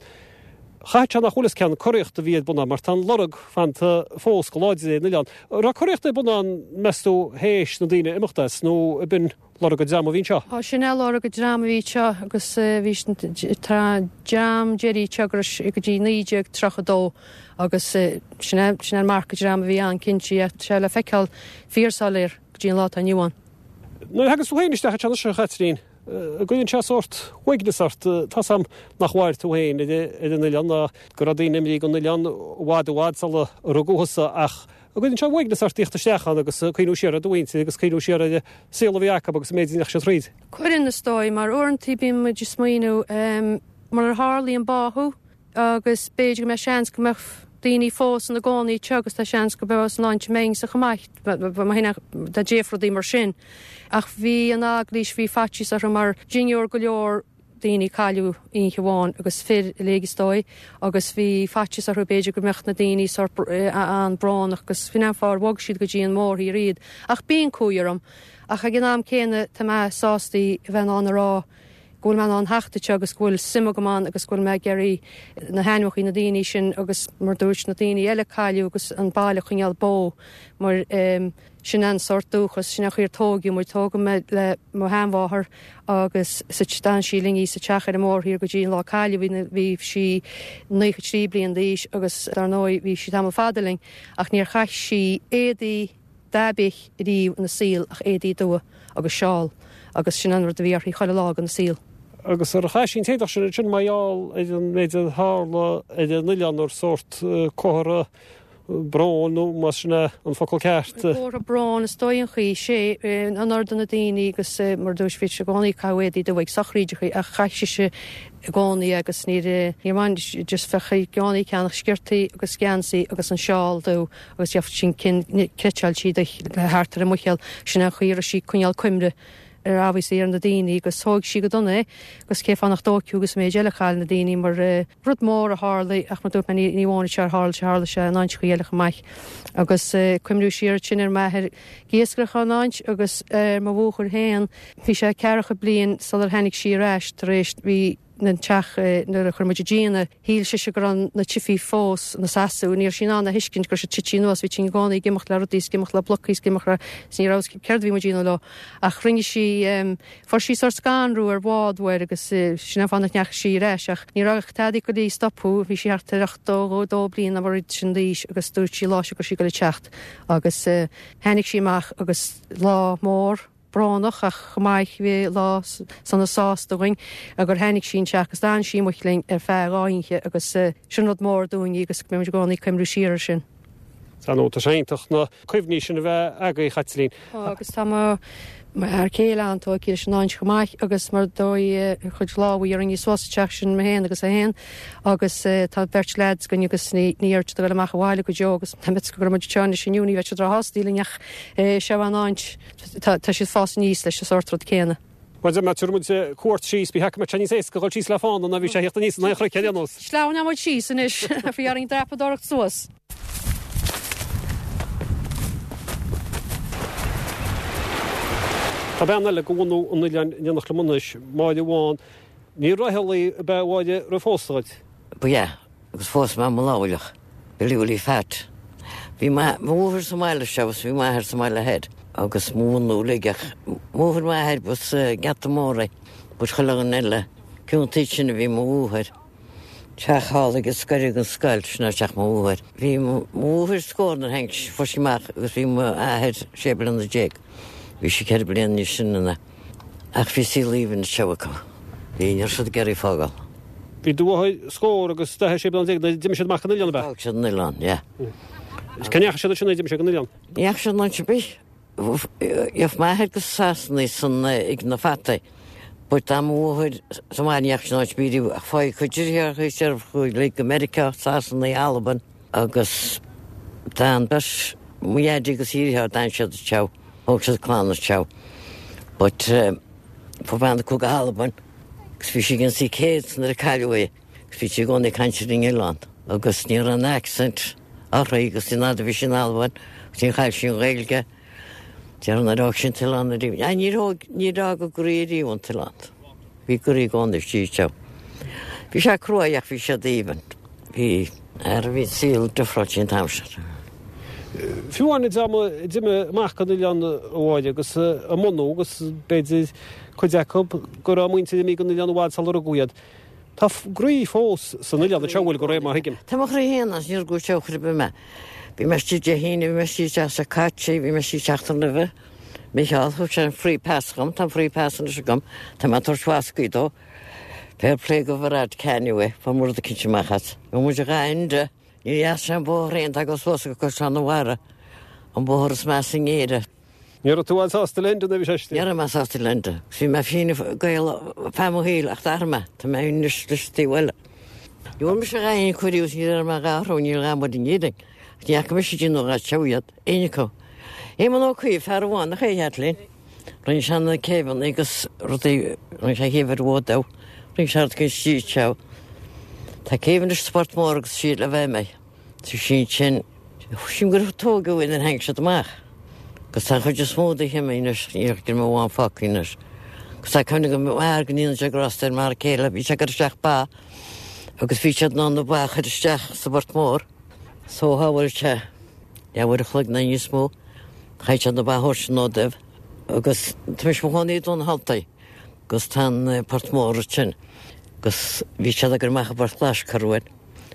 Chaithfeadh sé nach bhfuil fhios cén curaíocht a bhí ar bun ann mar tá an lorg fanta fós go láidir ar an oileán. An raibh curaíocht ar bun ann, meas tú, théis na daoine imeacht as nó ab in lorg an dream a bhí anseo? Á, sin é lorg an dream a bhí anseo agus bhí an dream deiridh anseo go dtí 1932 agus sin é sin é an marc an dream a bhí ann cinnte. Tá sé le feiceáil fíor-soiléir go dtí an lá atá inniu ann. Nuair a thagas tú féin isteach anseo anois, a Chaitlín, An gcuireann sé sórt uaigneas ort? Tá's a'm nach mhair tú féin ar an oileán ná go raibh daoine imithe gon oileán i bhfad i bhfad sula rugadh thusa ach an gcuireann sé uaigneas ort tíocht isteach ann agus cuimhniú siar ar do mhuintir agus cuimhniú siar ar an saol a bhí acu agus an méid a ndeachaigh siad thríd? Cuireann, is dóigh, mar uaireanta bíonn muid ag smaoineamh murar tharlaigh an báthadh, agus b'fhéidir go mbeadh seans go mbeadh daoine fós ina gcónaí anseo agus tá seans go mbeadh san áit a mbeinnse chomh maith, dá dtéadh rudaí mar sin. Ach bhí an eaglais, bhí faitíos orthu mar dhinniúr go leor daoine cailleadh oíche amháin agus fir uilig is dóigh agus bhí faitíos orthu b'fhéidir go mbeadh na daoine sórt an-bhrónach agus sin an fáth ar bhog siad go dtí an mórthír iad. Ach bíonn cumhaidh orm ach ag an am céanna tá mé sásta a bheith in ann a rá. go bhfuil mé in ann theacht anseo agus go bhfuil suim agam ann agus go bhfuil mé ag iarraidh na hainmneacha na daoine sin agus mar dúirt na daoine eile a cailleadh agus an baile a choinneáil beo mar sin an sórt dúchas, sin an chaoi ar tóigeadh muid. Tógadh mé le mo sheanmháthair agus sa d'fhan sí linn í sa teach ar an mBóthar Thiar go dtí an lá a cailleadh í, bhí sí 93 bliain d'aois agus dar ndóigh bhí sí tamall fada linn ach níor chaith sí éadaí ar bith riamh ina saol ach éadaí dubha agus seál agus sin an rud a bhí uirthi chuile lá den saol. Agus ar chaith sí an t-éadach sin ansin mar gheall ar an méid a tharla ar an oileán ar sórt comhartha bróin nó más sin é an focal ceart. Comhartha bróin is dóigh an chaoi, sé, in onóir do na daoine agus mar dúirt bhí sí i gcónaí ag caitheamh éadaí dubha ag sochraídeacha ach chaith sise i gcónaí agus níor níor bhain just bheadh i gcónaí ag ceannach sciortaí agus geansaí agus an seál dubh agus gheobhadh sin cinn cleiteáil sí thart ar a muicheall sin an chaoi a raibh sí ag coinneáil cuimre ar obviously ar na daoine agus thóig sí go dona é agus cén fáth nach dtóigfeadh agus an méid eile a chaill na daoine mar rud mór a tharla ach mar dúirt mé ní ní amháin anseo ar tharla sé tharla sé in áiteachaí eile chomh maith agus cuimhniú siar ansin ar m'athair ag iascaireacht in áit agus ar mo mháthair féin bhí sé ceathracha bliain sular tháinig sí ar ais tar éis bhí an teach nuair a chuir muid an díon air. Shíl sise go raibh na tithí fós ina seasamh. Ní raibh sí in ann a thuiscint go raibh siad tite anuas. Bhí tinn i gcónaí ag imeacht le rudaí is ag imeacht le blocaí is ag imeacht le is ní raibh a fhios céard a bhí muid a dhéanamh leo. Ach rinne sí, fuair sí sórt scanrú ar bhád uair agus sin an fáth nach ndeachaigh sí ar ais. Ach ní raibh tada ag goil í a stopadh. Bhí sí thart ar 82 bliain nó mar sin d'aois agus dúirt sí lá seo go raibh sí ag goil a teacht. Agus tháinig sí amach agus lá mór. brónach ach chomh maith bhí lá sona sásta againn gur tháinig sí anseo agus d'fhan sí amuigh linn ar feadh 2 oíche agus sin rud mór dúinn agus beidh muid i gcónaí ag cuimhniú siar ar sin. Tá nó tá sé iontach na cuimhní sin a bheith agaibh, a Chaitlín. Tá agus tá mo fhear céile an-tógtha leis an áit chomh maith agus mar dóigh a chuid lámha a rinne suas an teach sin mé féin agus é féin agus tá beirt leaids againn agus ní ní iarrfaidh siad a dhul amach an bhaile go deo agus tá mé go raibh muid anseo anois inniu ní bheidh siad róshásta linn ach seo an áit Tá siad ag fás aníos leis an sórt rud céanna. Bhuel, má tabharfaidh muid cuairt síos, bhí go mbeadh sé níos éasca dhul síos le fána ná bhí sé a theacht aníos an aon chnoic ar aon nós. Sleamhnóidh muid síos anois, bhí orainn dreapadóireacht suas. Tá bean eile de bhunadh an oileáin in éineacht liom anois, Máire Bhán. Ní Raghallaigh ab ea a Mháire roimh phósadh dhuit? Ba ea. Agus phós mé Maollamhlach, Billy Willie Phat. Bhí mo mháthair sa mbaile seo agus bhí m'athair sa mbaile thoir agus mo bhunadh uilig ach mháthair m'athair b'as Geata Mór é but chuile dhuine eile ciontaí sin a bhí mo mháthair. Teach thall ag an scoir ag an scoil, sin é teach mo mháthair. Bhí mo mháthair scór nuair a tháinig sí, fuair sí amach agus bhí m'athair sé bliana déag. Bhí sí ceithre bliana níos sine ná. Ach bhí saol aoibhinn anseo acu. Bhí, ní raibh siad ag iarraidh fágáil. Bhí do mháthair scór agus 46 bliana nuair a d'imigh siad amach go an oileán, ab ea? D'fhág siad an oileán, yeah. Cá ndeachaigh siad ansin nuair a d'imigh siad go an oileán? Ní dheachaigh siad in áit ar bith. Gheobh m'athair go Sasana san ag na fataí. But d'fhan mo mháthair sa mbaile ní dheachaigh sí in áit ar bith riamh ach faigh cuid deartháireacha deirfiúracha uilig go Meiriceá, Sasana, Albain agus d'fhan beirt mo dhaidí agus a dheartháir d'fhan siad anseo. Thóg siad clann anseo. But fuair bean acu go hAlbain. Agus bhí sí ag ionsaí 100 nuair a cailleadh í. Agus bhí sí i gcónaí ag caint ar an oileán. Agus ní raibh an accent uirthi agus an fhad a bhí sí in Albain agus níor chaill sí an Ghaeilge. Déarfainn nár fhág sí an t-oileán ariamh. Ah, níor thóg, níor fhág a gcroí ariamh an t-oileán. Bhí a gcroí i gcónaí istigh anseo. Bhí sé cruaidh ach bhí siad aoibhinn. Bhí, ara bhí an saol difreáilte an t-am sin. Fiú amháin an dream a d'imigh amach go an oileán a Mháire agus a mbunú agus b'fhéidir cuid acu go raibh a muintir imithe go an oileán i bhfad sular rugadh iad. Tá a gcroí fós san oileán anseo bhfuil de réir mar a thuigim. Tá mo chroí féin ann, níor rugadh anseo chor ar bith mé. Bhí mé istigh Dé hAoine, bhí mé istigh an tseachtain seo caite, bhí mé istigh seachtain roimhe. Micheál, thug sé an free pass dhom, tá an free pass anois agam, tá mé ag tabhairt bhascaí dó. Fair play go Varadkar anyway, fuair muid rud eicínt amach as. Bhí muid a dhá Enda. Ní dheas é an bóthar féin, tá go suas go Caisleán an Bharraigh, an bóthar is measa in Éirinn. Ní raibh tú an-sásta le Enda nuair a bhí sé istigh? Ní raibh mé sásta le Enda. Bhí mé Fine Gael feadh mo shaoil ach d'athraigh mé. Tá mé anois leis an taobh eile. Ní bhfuair mise a dhath aon chor riamh, ní raibh mé dhá athrú, níl a dhath muid in Éirinn. Ach ní fhaca mise ag déanamh a dhath anseo iad, éinne acu. Éamonn Ó Cuív, fear amháin, nach é a Chaitlín? Rinne sé na céibheanna agus rudaí, rinne sé céibh ar an bhfód domh, rinne sé rud éicint istigh anseo. Tá céibh anois sa Phort Mór agus sí le bheith mé. Tá sí ansin, sílim gur tógadh í nuair a tháinig siad amach. Agus tá an chuid is mó de imithe anois, níl ach dream amháin fágtha anois. Agus tá cuimhne agam m'athair go ndéanadh sé grásta ar m'fhear céile, bhí sé ag cur isteach ba agus bhí siad in ann na ba a chur isteach sa bPort Mór. So shábháil sé leathuair a chloig nó níos mó, chaith siad na ba a thabhairt anonn dóibh agus tá mise i mo chónaí i dTóin na hAltaí agus tá an Port Mór ansin agus bhí siad ag cur amach i bPort Ghlais corruair.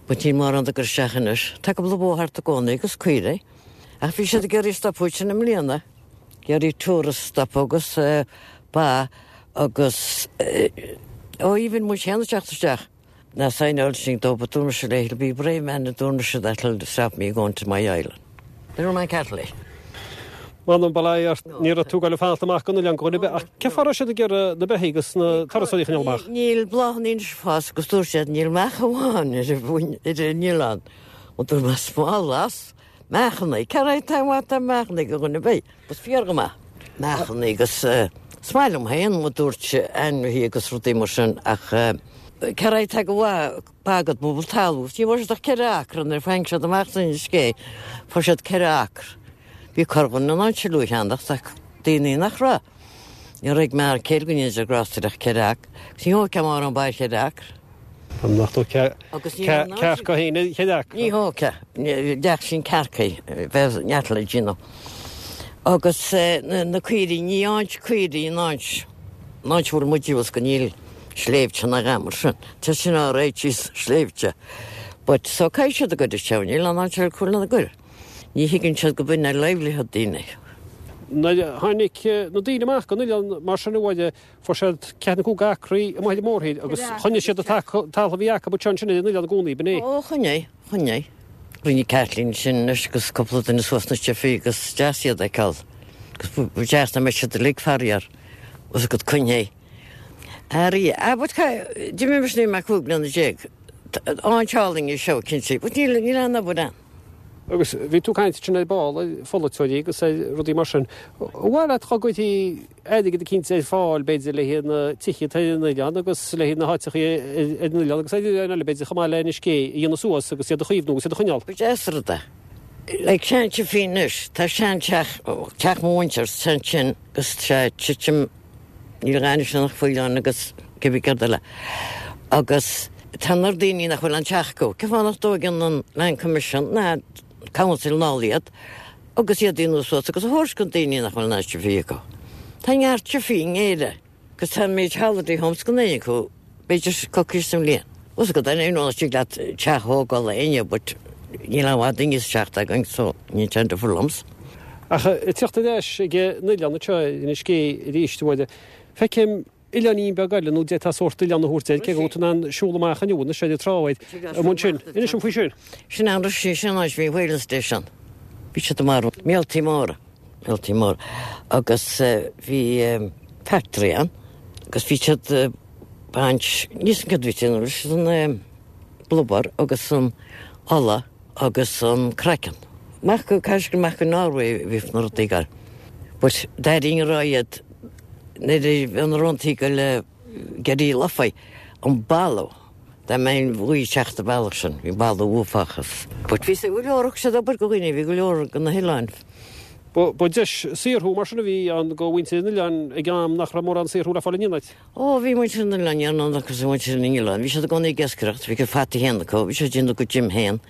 But níl mórán ag cur isteach anois. Tá cúpla bó thart i gcónaí agus caoirigh. Ach bhí siad ag iarraidh stopadh ansin i mbliana. Ag iarraidh tourists stopadh agus ba agus ó even muid féin ag teacht isteach. Ná saighneáil sin dó but dúirt mise léi he'll be a brave man a dúirt mise that'll stop me going to my island. Little man Catholic. M'anam bail ó Dhia ort, ní raibh tú ag goil ag fanacht amach gon oileán go dhuine ar bith, ach cén fáth a raibh siad ag iarraidh na beithígh agus na turasóirí a choinneáil amach? Níl bláthanna anois ag fás agus dúirt siad níl meacha amháin ar an oileán. Ó dúirt mé smál as meachanna, cé raibh taobh amuigh de meachanna go dhuine ar bith? Bus fíor go maith. Meachanna agus is maith liom féin mo dúirt ainmhithe agus rudaí mar sin ach cé raibh tá go mhaith ba agat bubble talamh. Ní bhfuair siad ach 4 acra nuair a tháinig siad amach san Inis Gé fuair siad 4 acra. Bhí corrdhuine in ann siúl a cheannacht ach daoine nach raibh. Ní raibh ag m'fhear céile go ndéana sé grásta ach 4 acra. Agus ní thógfá mórán ba ar 4 acra. An nach dtógfá cearca féin ar 4 acra? Ní thógfá. Bheadh sin cearcaí. Bheadh neart le déanamh. Agus na caoirigh, ní áit caoirigh an áit, an áit a bhfuil muid thuas go níl sléibhte ná a dhath mar sin. Tá sin á réitigh sna sléibhte. But so caithfidh siad a gcur isteach, níl aon áit eile acu lena gcur. Ní thuigeann siad go b'in é livelihood daoine. Nuair a tháinig na daoine amach gon oileán mar sin a Mháire, fuair siad ceathair nó cúig acraí amuigh ar an mórthír agus choinnigh siad an talamh a bhí acu anseo ansin ar an oileán i gcónaí, b'in é? Ó, choinnigh, choinnigh. Rinne Kathleen sin anois agus cúpla duine suas na stiffí agus is deas iad a fheiceáil. Agus ba deas dá mbeadh siad uilig faraor, os a gcuid coinnithe. Airí, ah but d'imigh mise nuair a bhí mé 15 bliana. Áit álainn í seo, cinnte, but níl, níl aon obair ann. Agus bhí tú ag caint ansin ar ball ar pholaiteoirí agus ar rudaí mar sin. Ar mhaith leat dá gcuirfí airgead eicínt ar fáil b'fhéidir le haghaidh na tithe atá ar an oileán agus le haghaidh na háiteachaí ar an oileán agus ar oileáin eile b'fhéidir chomh maith le Inis Gé a dhéanamh suas agus iad a chaomhnú agus iad a choinneáil? Ba deas an rud é. Like sean-tiffí anois, tá sean-teach, teach mo mhuintir, ansin agus tá sé ag titim, níl a dhath anois ann ach faoileáin agus cibé céard eile. Agus tá an oiread daoine nach bhfuil aon teach acu. Cén fáth nach dtóigeann an Land Commission ná Council anall iad agus iad a dhéanamh suas agus a thabhairt go daoine nach bhfuil aon tiffí acu. Tá neart tiffí in Éire agus tá an méid holiday homes gan éinne acu b'fhéidir coicís sa mbliain. Os go deimhin nach dtig leat teach a thógáil le éinne but níl aon mhaith duine sa teach againn so níl sé difriúil liomsa. Ach ag teacht ar ais ag an oileán anseo ar Inis Gé arís, a Mháire, feicim oileáinín beag eile nó d'fhéadfá sórt oileán a thabhairt air, cé go bhfuil tú in ann siúl amach inniu anois ar an trá air, amuigh ansin. Inis dom faoi sin. Sin an Roisín, sin an áit a bhí Whaling Station. Bhí siad ag marú míoltaí móra, míoltaí móra. Agus bhí factory ann agus bhí siad ag baint, níl 'fhios a'm céard a bhí siad ag déanamh leis an blubber agus an ola agus an craiceann. Amach go, caithfidh amach go Norway a bhí na rudaí ag gabháil. But d'airínn ag rá iad nuair a bhí na róntaí ag goil ag éirí lofa, an boladh, dá mbeinn an ghaoth ag teacht an bealach sin, bhí boladh uafásach. But bhí go leor, thug siad obair go dhaoine, bhí go leor go na hoileáin. Ba deis saothrú mar sin a bhí ann go mhuintir an oileáin ag am nach raibh mórán saothrú le fáil in aon áit. Ó, bhí muintir an oileáin, ní raibh agus muintir na n-oileán, bhí siad i gcónaí ag iascaireacht, bhí a gcuid fataí féin acu, bhí siad ag déanamh a gcuid im féin,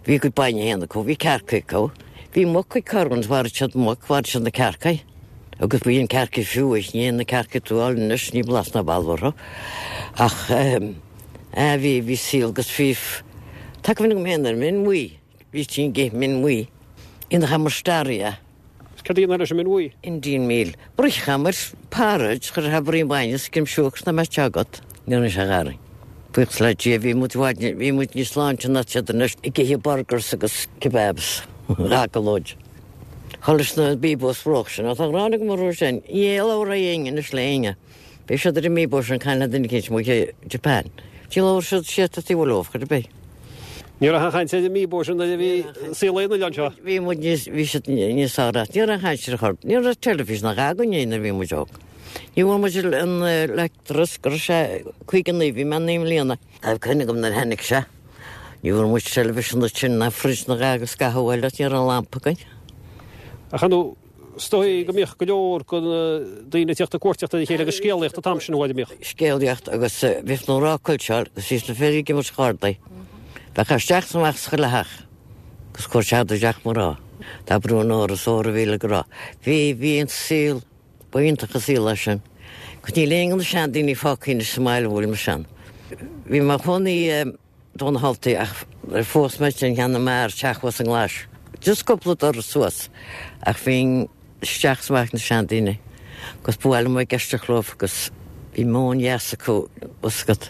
bhí a gcuid bainne féin acu, bhí cearca acu, bhí muc ag corrdhuine, mharaigh siad muc, mharaigh siad na cearca, agus bhí an cearca fiú, ní na cearca atá tú a fháil anois, ní blas ná boladh orthu. Ach, eh, bhí, bhí saol agus bhí, tá cuimhne agam féin ar min bhuí. Bhí tinn ag ithe min bhuí. Dhéanamar staraí. Is céard a dhéanfá leis an min bhuí? Indian meal. Bruithcheamair porridge, chuirfeá braon bainne is scrim siúcra is dá mbeadh sé agat. Ní raibh sé gharaí. Buíochas le Dia bhí muid i bhfad, bhí muid níos sláinte ná siad anois ag ithe burgers agus kebabs dhá gclóid. Chomh leis na bíobós bhróg sin. Tá gráin agam orthu sin. Ní labhróidh éinne anois le éinne. Beidh siad ar an mbíobó sin caint le duine eicínt amuigh i Japan. Ní labhróidh siad siad taobh leo chor ar bith. Ní raibh aon chaint ar an mbíobó sin nuair a bhí saol ar an oileán seo. Bhí muid níos, bhí siad níos fearr as. Ní raibh aon chaint ar chor. Ní raibh teilifís ná a dhath againne nuair a bhí muid óg. Ní bhfuair muid an leictreachas go raibh sé 59, bhí mé 9 mbliana. Tá cuimhne agam nuair a tháinig sé. Ní bhfuair muid teilifís ansin ná fridge ná a dhath agus scaitheamh eile, ní raibh lampa againn. Ach ar ndóigh. Is dóigh go mbíodh go leor de na daoine ag tíocht ag cuartaíocht ar a chéile agus scéalaíocht an t-am sin an mbíodh? Scéalaíocht agus bhíodh na mná ag cuilteáil agus bhíodh na fir ag imirt chárdaí. Bheadh isteach is amach sa chuile theach agus cuairteadar i dteach mná. Dá brú an ór is ór a bhí le go raibh. Bhí, bhí an saol, ba iontach an saol é sin. Agus níl aon de na seandaoine fágtha anois sa mbaile a bhfuil mise ann. Bhí mé i mo chónaí i dTóin na hAltaí ach phós mé ansin cheana m'fhear teach thuas i nGlais. Just cúpla doras suas ach bhínn isteach is amach na seandaoine agus ba mhaith liom ag éisteacht leo agus bhí meon dheas acu fhios agat.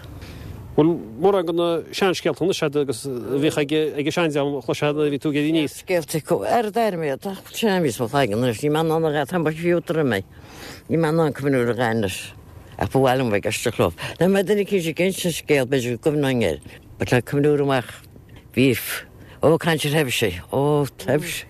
Bhfuil mórán de na seanscéalta anois agat agus a bhíodh ag an seandream a chloisfeá nuair a bhí tú ag éirí aníos? Scéalta acu ar d'airm iad ach sin a bhíos mo chloigeann anois níl mé in ann a dhath tá mo fiú droim é níl mé in ann cuimhniú ar a dhath anois ach ba mhaith liom bheith ag éisteacht leo. Dá mbeadh duine eicínt ag insint scéal b'fhéidir go gcuimhneoinn air but le cuimhniú amach bhí Ó, caint ar thaibhsí. Ó, taibhsí.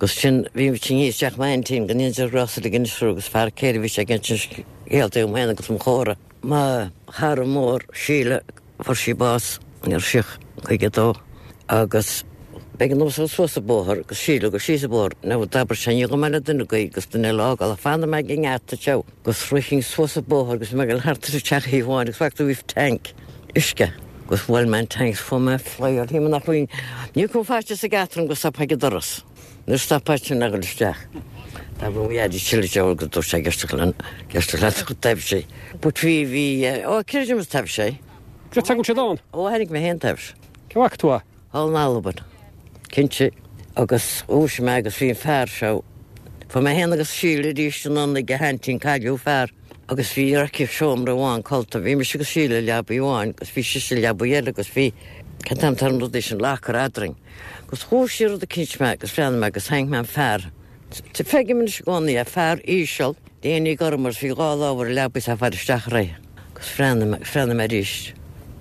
Agus sin, bhí muid thíos i dteach m'aintín, go ndéana Dia grásta di ag Inis Rua agus fear céile bhí sé ag insint scéalta dom féin agus mo chomhara. Mo chara mór, Síle, fuair sí bás, ní raibh sí ach 52, agus b'éigean domsa dul suas an bóthar agus Síle dul síos an bóthar. Now, d'abair sé, ní ghabhfaidh mé le duine agaibh agus duine eile a fhágáil ach fanfaidh mé ag an ngeata seo. Agus rithinn suas an bóthar agus mé ag dul thart ar an teach thaobh amháin agus bhfaca tú bhí tank uisce agus bhuail mé an tank is fuair mé flyáil shíl mé nach bhfuil ní raibh faitíos ag eatarm go stopfá ag an doras nuair a stopfá sin a dhul isteach. Tá mo dhaidí chille Joe agus dúirt sé ag éisteacht le ag éisteacht le taibhsí. But bhí bhí ó creidim is taibhse é. Cad tagann siad ann? Ó tháinig mé féin taibhse. Cé bhfaca tú é? Thall in Albain, cinnte, agus dhúisigh mé agus bhí an fear seo, fuair mé féin agus Síle arís anonn ag a haintín, cailleadh a fear, agus bhí aici seomra amháin codlata, bhí mise agus Síle i leabaidh amháin agus bhí sise i leabaidh eile agus bhí, cén t-ainm atá ar an rudaí sin, locker eadrainn. Agus dhúisigh rud eicínt mé agus bhreathnaigh mé agus tháinig mé an fear, feicim anois i gcónaí é, fear íseal, léine gorm agus bhí dhá lámh ar an leabaidh is é ag faire isteach uirthi. Agus bhreathnaigh mé, agus bhreathnaigh mé arís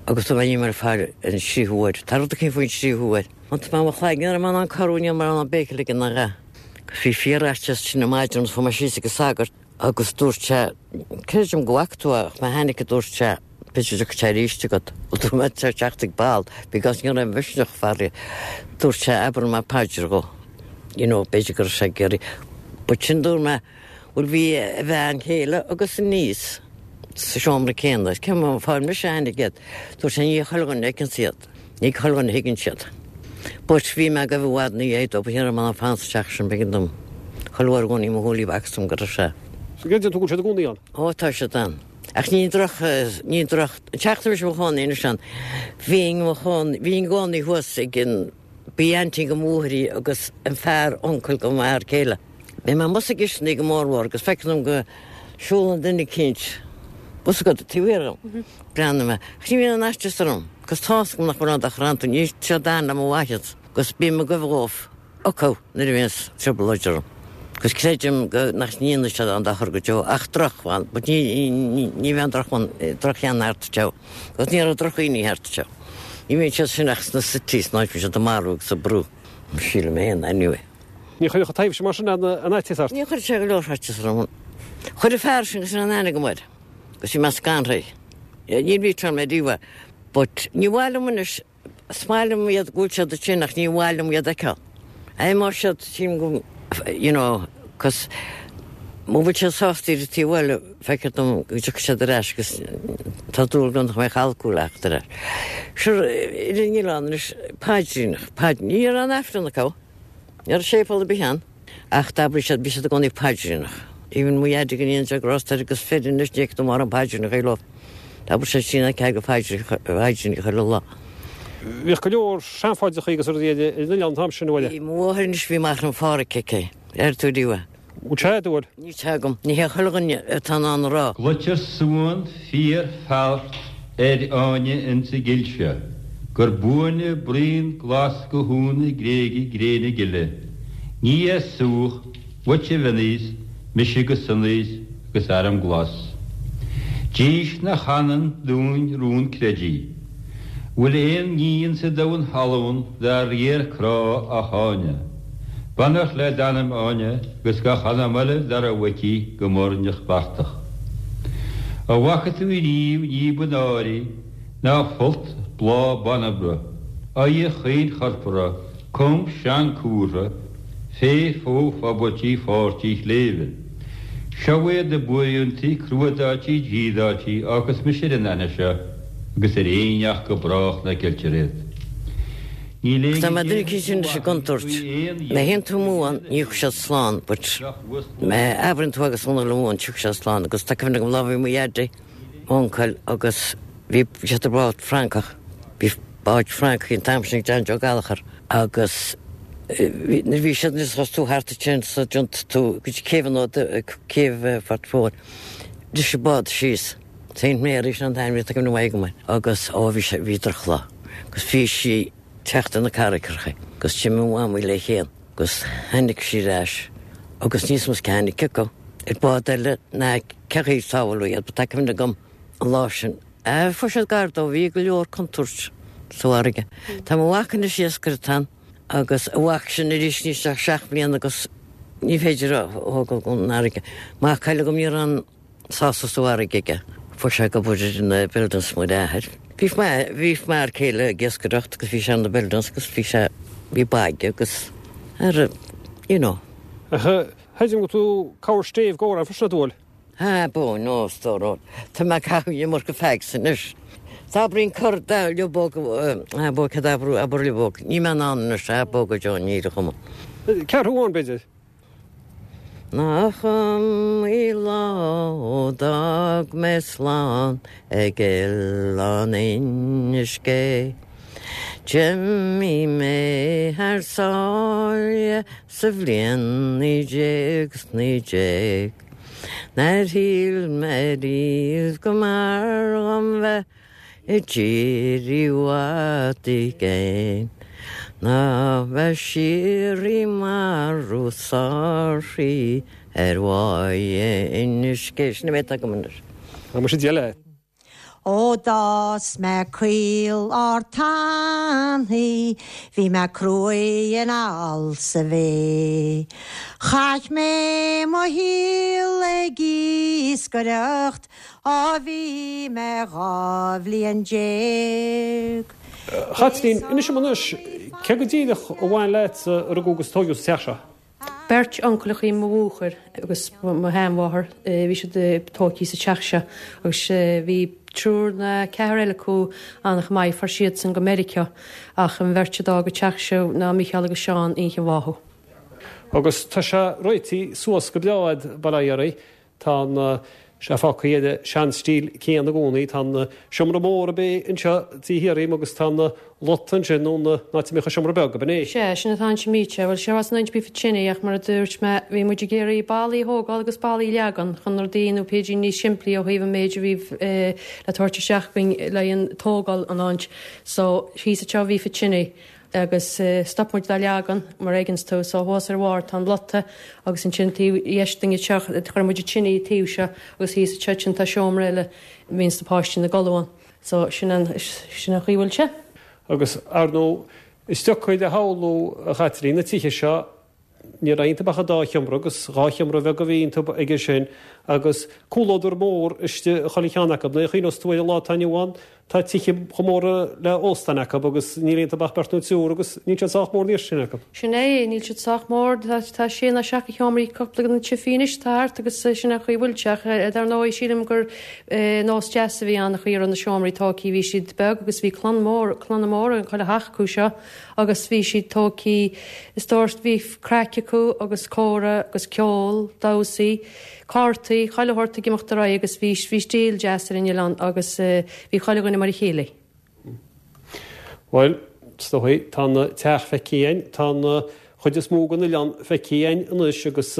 agus dúirt mé níl mé ag fáil an tríú huair. Tá rud eicínt faoin tríú huair. Iontaigh mé mo chloigeann, ní raibh mé in ann corrú, ní raibh mé in ann béic a ligean ná a dhath. Agus bhí fíorfhaitíos sin an maidin agus chuaigh mé síos ag an sagart agus dúirt sé, creidim go bhfaca tú é ach má tháinig a dúirt sé, b'fhéidir go dtiocfaidh sé arís agat. Dúirt mé tá teacht ag ball because ní raibh misneach faraor. Dúirt sé abair mé paidir dhó. You know, b'fhéidir go raibh sé ag iarraidh. But sin dúirt mé, Bhuel bhí a bhean chéile agus a niece sa seomra céanna. Cén fáth mise a tháinig iad? Dúirt sé ní chuile dhuine a fheiceanns iad. Ní chuile dhuine a thuigeann siad. But bhí mé ag gabh i bhfad ina dhiaidh dó, but ní raibh mé in ann fanacht sa teach sin, b'éigean dom. Chuile uair i gcónaí mo shúilí bhfacthas dom go raibh sé. So gcreideann tú go bhfuil siad i gcónaí ann? Ó tá siad ann. Ach ní droch, ní droch, an teach tá mise i mo chónaí anois ann, bhínn i mo chónaí, bhínn i gcónaí thuas ag an, B'í aintín go mháthair í agus an fear uncail go m'fhear céile. Bíonn mé amuigh sa gcisteanach go mór mhór agus feictear dom go siúlann duine eicínt bhfuil a fhios agat taobh thiar dhom. Breathnaíonn mé. Ach ní bhíonn aon fhaitíos orm agus tá's agam nach bhfuil aon dochar iontu, níl siad ann le mo mhaitheas agus bím ag gabh dhóibh acu nuair a bhíonns trioblóid orm. Agus creidim go nach ndéanfaidh siad aon dochar go deo ach drochbhean, but ní ní bheadh drochbhean, drochcheann thart anseo. Agus ní raibh drochdhaoine thart anseo. Ní bhíonn siad sin ach sna cities, an áit a mbíonn siad ag marú agus ag brú. Sílim féin, anyway. Ní chuirfeadh an taibhse mar sin aon fhaitíos ort? Níor chuir sé go leor faitíos orm. Chuir an fear sin agus an aithne agam air agus bhí mé scanraithe. Níor mhíteáil mé riamh é. But ní mhaith liom anois Is maith liom iad go bhfuil siad ansin ach ní mhaith liom iad a fheiceáil. Má siad sílim go you know cos mura bhfuil siad sásta ar an taobh eile feictear dom go dtiocfaidh siad ar ais agus tá dúil agam nach mbeidh alcól acu ar ais. Sure ar an oileán anois paidríneach, paid, ní raibh aon Aifreann acu, ní raibh séipéal ar bith ann. Ach d'abraigh siad, bhí siad i gcónaí paidríneach. Even mo dhaidí go ndéana Dia grásta air agus fir anois ní fheictear mórán paidríneach leo. D'abraigh sé sin ag go phaidríneach chuile lá. Bhíodh go leor seanphaidreacha agus rudaí ar an oileán an t-am sin, an bhfuil? Bhí mo mháthair anois, bhí Machaire an Phádraig aici. Ar tú riamh é? Bhfuil sé, an bhfuil? Níl sé agam. Ní hé chuile dhuine atá in ann a rá. Glaoitear suan fíor feart ar fháinne ins an gcill seo, gur buaine braon glas go húna gréige gréine gile. Ní é súch, uait a mhionaois, mise go sonaois agus arm glas. Dís nach anann dúinn rún creidí. Bhfuil aon ní ins an domhan thalún dár riar crá ach Áine. Beannacht le d'anam Áine agus gach anam eile dá raibh aici go muirneach beartach. A bhfaca tú riamh ní ba náirí ná folt bláth banbra, aghaidh chaoin chorpartha, com seanchúrtha. Fé fó fobairtí pháirtí shléibhe. Seo iad a buaireantaí cruadáití dídáití ocus mise ar an aithne seo agus ar éinneach go brách le ceiltear iad. Níl Agus éinne dá mbeadh duine céanna eicínt anois i gcontúirt, faoi aon má théann tú amú ann, ní thiocfaidh siad slán, but má abraíonn tú agus ionadh amú ann, tiocfaidh siad slán. Agus tá cuimhne agam lá bhí mo dhaidí, m'uncail agus bhí siad ar bhád Francach, bhí báid Francaigh an t-am sin ag John Joe Gallchóir agus nuair bhí siad anois agus tú thart ansin sa dtiontaigh tú go dtí céibh an céibh Phort Mhóir, bhris an bád síos. Saint Mary sin an t-ainm tá cuimhne mhaith agam air agus ó bhí sé bhí drochlá agus bhí sí teacht ar na carraigeacha agus d'imigh mo mhamaí léi féin agus tháinig sí ar ais agus níos mó cé tháinig acu ar bád eile ná cé chaoi sábháladh iad but tá cuimhne agam an lá sin a fuair siad gar dó bhí go leor contúirt sa bhfarraige. Tá mo mhac anois iascaireacht ann agus a mhac sin arís níl sé ach 7 mbliana agus ní féidir a thógáil gon fharraige. Mac eile agam ní raibh an sásamh sa bhfarraige aige. Fuair sé ag obair ar na buildings mar athair. Bhí bhí m'fhear céile ag iascaireacht agus bhí sé ar na buildings agus bhí sé, bhí báid aige agus ar, you know. Ach chreidim go tú cabhair stéibh go raibh freisin a dúil. Ha, bó, no, stór, tá mé ag caitheamh an iomarca fags anois. Tá abraíonn cor da liobóg, ha, bó, cad abrú, abair liobóg. Níl mé in ann anois, ha, bó go Joe, níl a chuma. Ceathrú amháin, b'fhéidir. Nach iomaí lá ó d'fhág mé slán ag Oileán Inis Gé. D'imigh mé thar sáile sa bhliain 1919. Nár shíl mé riamh go mb'fhearr dhom bheith I dtír i bhfad i gcéin ná bheith siar i marú sáraí ar bháighe Inis Gé. Sin an méid atá agam anois. Tá muise Dia leat. Ó d'fhás mé caol ard tanaí, bhí mé cruaidh anall sa bhé. Chaith mé mo shaol ag iascaireacht Ó bhí mé 12 bhliain. A Chaitlín, inis dom anois, cé go díreach a bhain leatsa a rugadh agus a tóigeadh sa teach seo? Beirt uncail mo mháthair agus mo sheanmháthair, bhí siad tógtha sa teach seo agus bhí triúr nó ceathrar eile acu an-chomh maith, fuair siadsan go Meiriceá ach an bheirt a d'fhág an teach seo ná Micheál agus Seán Uí Mhathú. Agus tá sé réitithe suas go breá a'd, bail ó Dhia oraibh. Tá an sé fágtha ar an seanstíl céanna i gcónaí. Tá an seomra mór ab é anseo taobh thiar dhíom agus tá an lota ansin ón áit a mbíodh an seomra beag, ab in é? Sea, sin atá ansin míte. Bhuel, seo as an áit a bhí tine ach mar a dúirt mé, bhí muid ag iarraidh ballaí a thógáil agus ballaí a leagan chun rudaí nó píosaí níos simplí ó thaobh an méid a bhí le tabhairt isteach againn le haghaidh an tógáil an áit. So, thíos anseo bhí tine. Agus stop muid dá leagan, mar a fheiceanns tú. So thuas ar bharr tá an lota agus ansin taobh dheis dínn anseo, chuir muid an tine an taobh seo agus thíos anseo ansin tá seomra eile a bhíonns na páistí ina gcodladh ann. So sin an, sin an chaoi a bhfuil sé. Agus, ar ndóigh, is deacair a shamhlú, a Chaitlín, na tithe seo, Ní raibh iontu ach an dá sheomra agus dhá sheomra bheaga a bhí iontu aige sin agus cúlódar mór istigh i chuile cheann acu. Nuair a chuimhneos tú ar an lá atá inniu ann, tá tithe chomh mór le óstáin acu agus níl iontu ach beirt nó triúr agus níl siad sách mór an oiread sin acu. Sin é, níl siad sách mór. Tá sé nó seacht de sheomraí ag cúpla de na tithe anois atá thart agus sin an chaoi a bhfuil sé ach dar ndóigh sílim gur nós deas a bhí ann an chaoi a raibh na seomraí tógtha. Bhí siad beag agus bhí clann mór, clanna móra in chuile theach acu seo. Agus bhí siad tógtha, is dóigh, bhí craic acu agus comhrá agus ceol, damhsaí, cártaí, chuile shórt ag imeacht ar aghaidh agus bhí, bhí stíl deas ar an oileán agus bhí chuile dhuine mar a chéile. Bhuel, is dóigh, tá an teach feicthe againn, tá an chuid is mó den oileán feicthe againn anois agus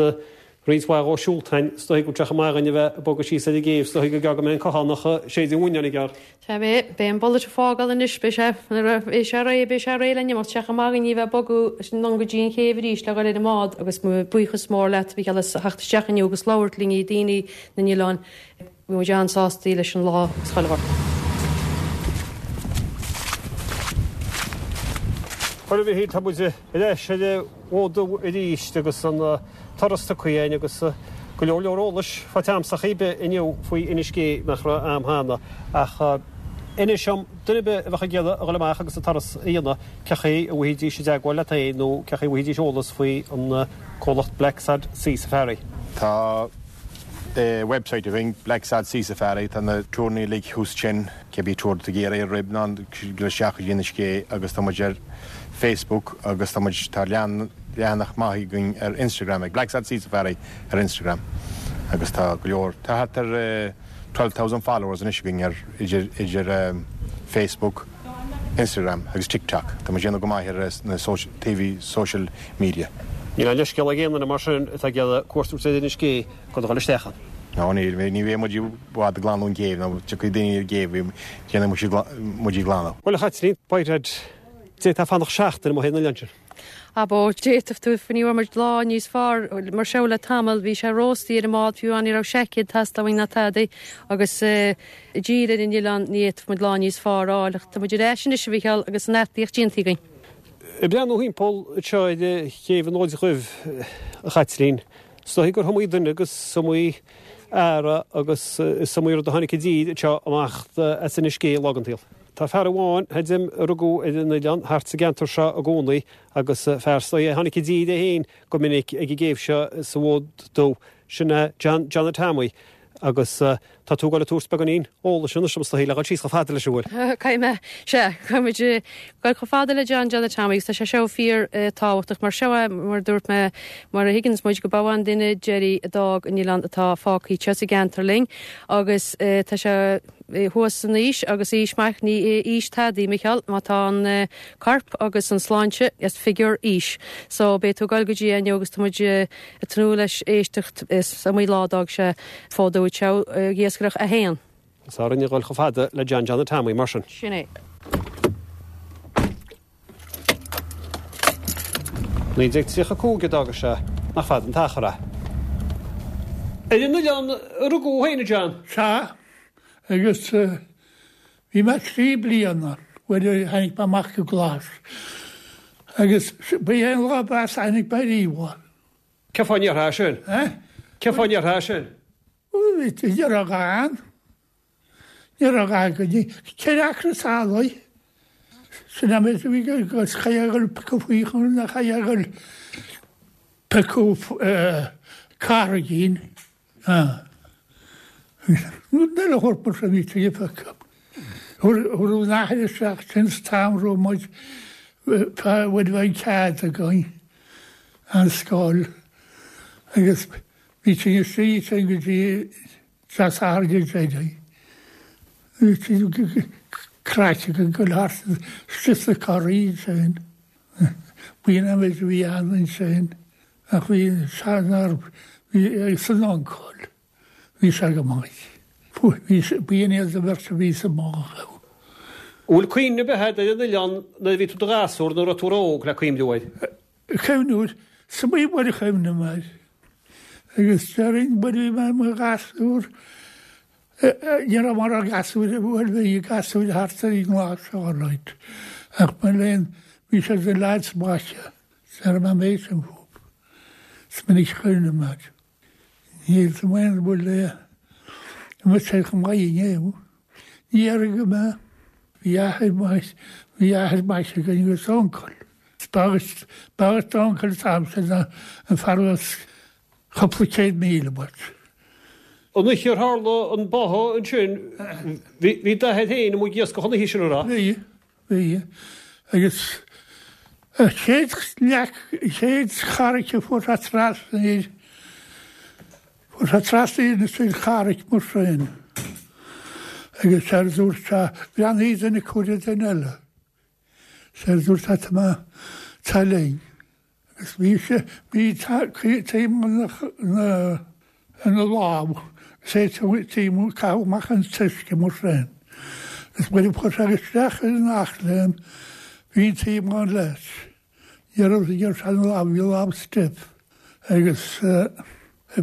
roinnt mhaith dhó siúlta againn, is dóigh go bhfuil sé chomh maith againn a bheith ag bogadh síos ar an gcéibh, is dóigh gur gearr go mbeidh an cothánach ag séideadh an bhuinneáin i gcearr. Sea, beidh, beidh an bullet ag fágáil anois, beidh sé, nuair a bheidh sé réidh, beidh sé réidh le n-imeacht, sé chomh maith againn a bheith ag bogadh anonn go dtí an chéibh arís le dhul ar an mbád agus mo buíochas mór leat, a Mhícheáil, as theacht isteach inniu agus labhairt linn, daoine na n-oileán, bhí muid an-sástaí leis an lá agus chuile shórt. Bhuel a Mhichíl, tá muid ar ais ar an bhFód Dubh arís agus an turas tugtha againn agus go leor leor eolais faighte a'msa ar chaoi ar bith inniu faoi Inis Gé nach raibh a'm cheana ach. Inis dom, duine ar bith a bheadh ag iarraidh a dhul amach agus an turas a dhéanamh, cé chaoi a bhfaighidís i dteagmháil leat féin nó cé chaoi a bhfaighidís eolas faoi an comhlacht Blacksod Sea Safari? Tá website againn, Blacksod Sea Safari, tá na turanna uilig thuas ansin, cibé tour atá tú ag iarraidh ar RIB ná dul isteach go dtí Inis Gé agus tá muid ar Facebook agus tá muid, tá leathanach maith againn ar Instagram ag Blacksod Sea Safari ar Instagram agus tá go leor, tá thart ar 12,000 followers anois againn ar idir idir Facebook, Instagram agus TikTok. Tá muid ag déanamh go maith ar na TV social media. Níl aon leithscéal ag aon duine mar sin atá ag iarraidh cuairt a thabhairt ar Inis Gé gan a dhul isteach ann. Ná níl, ní bheidh muid i bhfad ag glanadh an chéibh nó tiocfaidh daoine ar an gcéibh, déanfaidh muid í glanadh. Bhuel a Chaitlín, b'fhéidir, d'fhéadfá fanacht seachtain amuigh ar an oileán sin. Abó, d'fhéadfadh tú, ní bhfuair muid lá níos fearr mar seo le tamall, bhí sé róstaí ar an mbád fiú amháin ní raibh seaicéad ag teastáil uainn ná tadaí agus i dtír ar an oileán ní fhéadfadh muid lá níos fearr a fháil ach tá muid ar ais anois a Mhichíl agus an fhataíocht déanta againn. Ag breathnú thimpeall anseo ar chéibh an Fhóid Dhuibh, a Chaitlín, is dóigh gur iomaí duine agus is iomaí earra agus is iomaí rud a tháinig i dtír anseo amach as Inis Gé lá den tsaol. Tá fear amháin, theidim, a rugadh ar an oileán thart sa gceantar seo i gcónaí agus fear is dóigh a tháinig i dtír é féin go minic ag an gcéibh seo sa bhFód Dubh, sin é John Johnny Tommy agus tá tú ag dul ag tabhairt beagáinín eolais anois dom is dóigh le dhul síos chomh fada leis an bhfuil? Caithfidh mé, sea, caithfidh muid dul chomh fada le John Johnny Tommy agus tá sé seo fíor tábhachtach mar seo é, mar a dúirt mé, mar a thuigeanns muid go ba an duine deiridh a d'fhág an oileán atá fágtha anseo sa gceantar linn agus tá sé thuas san aois agus aois maith, ní aois tadaí, Micheál, má tá an corp agus an sláinte is figiúr aois. So beidh tú ag dul go dtí é inniu agus tá muid ag tnúth leis éisteacht is iomaí lá a d'fhág sé fód dubh anseo ag iascaireacht é féin. Is orainn a dhul chomh fada le John Johnny Tommy mar sin. Sin é. 1935 a d'fhága sé, nach fada an t-achar é. Ar an oileán a rugadh thú féin, a John? Sea, agus bhí mé 3 bliana nuair a tháinig mé amach go Glas. Agus ba é an lá ab fhearr a tháinig mé riamh. Cén fáth a ndéarfá sin? Eh? Cén fáth a ndéarfá sin? Ní raibh ann. Ní raibh againn 4 acra talaimh. Sin an méid a bhí agus chaithfeá a dhul piocadh faochain nó chaithfeá a dhul piocadh carraigín. Rud eile a thabhairt mar sin bhí tú ag piocadh. Thabharfadh an athair isteach sin sa t-am raibh muid bhfuil an cead againn an scoil agus bhí tú istigh sin go dtí Dé Sathairn go deireadh. Bhí craic againn ag dul thart istigh sna coraí ansin. B'in an méid a bhí ann ansin. Ach bhí sean bhí agus an uncail, bhí sé go maith. Bhí b'in iad an bheirt a bhí sa mbád. An bhfuil cuimhne ar bith agat ar an oileán nuair a bhí tú i do ghasúr nó raibh tú ró-óg le cuimhniú air? Cuimhniú air, is iomaí uair a chuimhnigh mé air. Agus déarfainn nuair a bhí mé i mo ghasúr, ní raibh mórán gasúir, bhuel bhí gasúir thart ar an nGlas alright, ach mo léan, bhí siad na lads maithe, déarfaidh mé an méid sin fúthu. Is minic a chuimhnigh mé air. Níl sa mhaoin bhfuil an bhfuil sé chomh maith inniu. Ní déarfainn go mbeadh. Bhí athair maith, bhí athair maith againn agus uncail. B'fhearr, b'fhearr d'uncail an t-am sin ná an fear as cúpla céad míle uait. An oíche ar tharla an báthadh ansin, bhí, bhí d'athair féin amuigh ag iascach an oíche sin, an raibh? Bhí. Bhí. Agus an chéad leac, an chéad charraic a fuair sé trasna air, fuair sé trasna air an charraic mar sin. Agus séard a dúirt sé, bhreathnaigh duine acu ar an duine eile. Séard a dúirt sé, tá mé, tá linn. Agus bhí sé, bhí taobh na, ina lámh, is é taobh, caitheadh amach an t-uisce mar sin. Agus nuair a chuir sé isteach ar an eachléim, bhí an t-iomlán leis. Ní raibh, ní raibh sé ina lámh, bhí a lámh stiff. Agus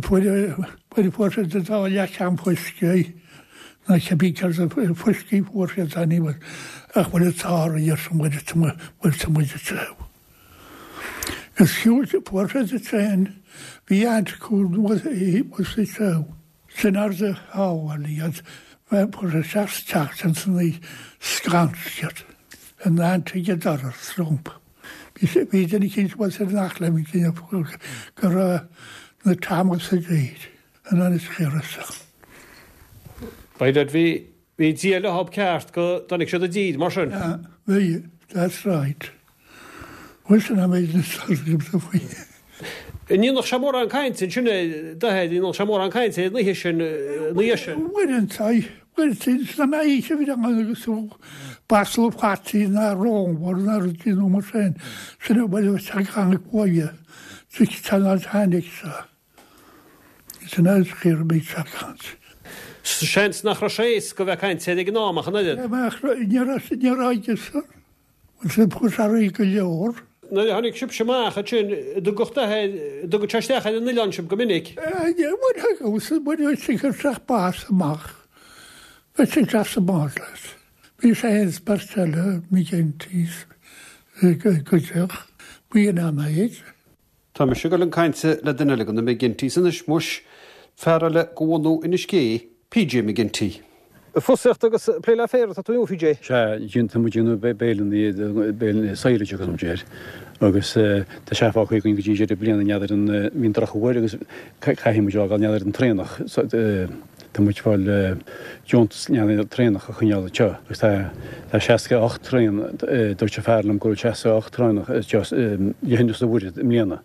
fuair, fuair, fuair siad an dá leathcheann fuisce, ná cibé céard a fuiscí fuair siad, ach bhfuil an t-ádh ar san bhfuil tá muid ag téamh. Agus shiúil sé, fuair sé sa traein, bhí aint acu thuas sa treabh. Sin ar do shábháil iad. Fuair sé isteach sa teach sin san oíche scanraithe in ag an doras rompu. Bhí duine eicínt a bhfuil siad nach le go raibh na Tamils sa dtír in Inis Chiarraí. By dad bhí bhí Dia leothab ceart go dtáinig siad i dtír mar sin. Yeah, bhí, that's right. Bhuel sin an méid is agamsa faoi. An ndéanadh sé mórán cainte ansin a d'athair, an ndéanadh sé mórán cainte an oíche sin, an oíche sin? Uaireanta, uaireanta, san oíche a bhí ann agus basla fataí ná rómhar ná rudaí nó mar sin, sin a bhfuil a fhios ag buaile, tá tháinig seo. Sin é is fíor bhí sé ag caint. Seans nach raibh sé éasca a bheith ag caint air ag an am ach an oiread. Ní raibh, ní raibh aige-san. Bhuel sin fuair sé réidh go leor. Nuair a tháinig sibhse amach ansin, an dtugadh d'athair, an dtugadh sé isteach ar an oileán sibh go minic? Bhuel thugadh, bhuel bhí sé ag cur isteach bás amach. Bhí sé isteach sa mbád leis. Bhí sé féin is beirt eile, McGinty's, go dteach. Bhí in ann é. Tá mise ag dul chun cainte le duine eile de na McGintys anois muis, fear eile de bhunú Inis Gé, PJ McGinty. Fosaíocht agus plé le féar atá tú inniu, PJ? Sea, tá muid ag déanamh béileanna, béileanna silage a thugann muid air, agus tá sé fágtha againn go dtí deireadh bliana, n'fheadar an, bhí an drochuair agus caithfidh muid a fhágáil, n'fheadar an traonach, tá muid ag fáil deontas n'fheadar an traonach a choinneáil anseo agus tá, tá 68 traon, dúirt an fear liom go bhfuil 68 traonach anseo le hInis Mhuirthead i mbliana.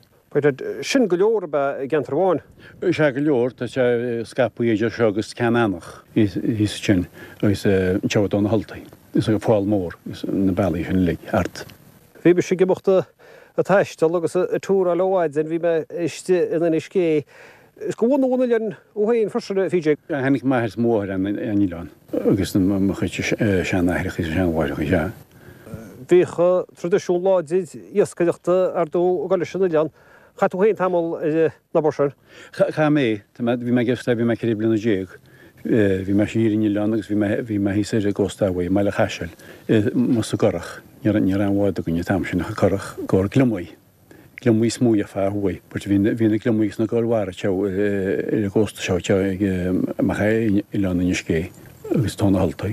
Sin go leor ab ea i gceantar amháin? Sea, go leor. Tá sé scaipthe idir seo agus Ceann Eanach thíos ansin agus anseo i dTóin na hUltaí agus an Fál Mór agus na bealaí sin uilig thart. Bhí mise ag imeacht ag taisteal agus ag túráil ó mhaidin, bhí mé istigh in Inis Gé. Is de bhunú an oileáin thú féin freisin, a PJ. Tháinig m'athair is mo mháthair ar an oileán agus mo chuid seanaithreacha is seanmháithreacha, sea. Bhíodh traidisiún láidir iascaireachta ar ndóigh ag dul leis an oileán. Chaith tú féin tamall ar an obair sin. Chaith mé. Bhí mé ag iascaireacht bhí mé 14 bliana. Bhí mé siar ar an oileán agus bhí mé bhí mé thíos ar an gcósta uaidh, i mBaile Chaisil, amuigh sa gcurrach. Ní raibh ní raibh aon bhád againn an t-am sin ach an currach i gcomhair gliomaigh. Gliomaigh is mó a gheofá thuaidh, but bhí bhí na gliomaigh agus na goir mhara anseo ar an gcósta seo anseo ag amach ar oileán Inis Gé agus Tóin na hUltaí.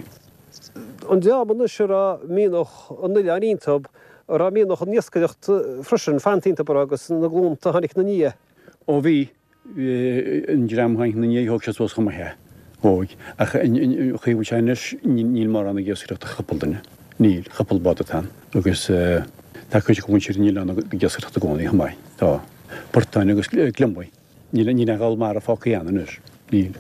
An dream anois a raibh mianach an oileáin iontub, a raibh mianach an iascaireacht freisin fanta iontub, a raibh agus na glúnta a tháinig ina ndiaidh. Ó bhí, an dream a tháinig ina ndiaidh thóg siad suas chomh maith é. Thóg. Ach an chaoi a bhfuil sé anois níl mórán ag iascaireacht ach cúpla duine. Níl. Cúpla bád atá ann. Agus tá cuid de mhuintir an oileáin ag iascaireacht i gcónaí chomh maith. Tá. Portáin agus gliomaigh. Níl aon ghal mara fágtha ann anois. Níl.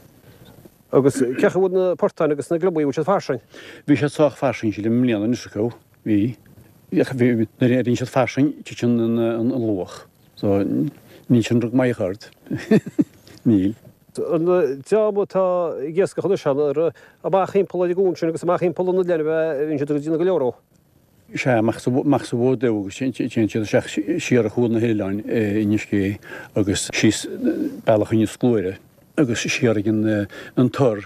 Agus cé chaoi a bhfuil na portáin agus na gliomaigh, bhfuil siad fairsing? Bhí siad sách fairsing sílim i mbliana anois acu. Bhí. Nuair a éiríonn siad fairsing titeann an luach. So níl sin rud maith ort. Níl. An dream atá ag iascach anois ann, ar amach thimpeall ar an gcuan sin agus amach thimpeall an oileáin a bhíonn siad ag déanamh go leor ó? Sea, amach sa Bhód Dubh agus téann siad isteach siar ar chúl na hoileáin i Inis Gé agus síos bealach Inis Gluaire agus siar ag an Tor,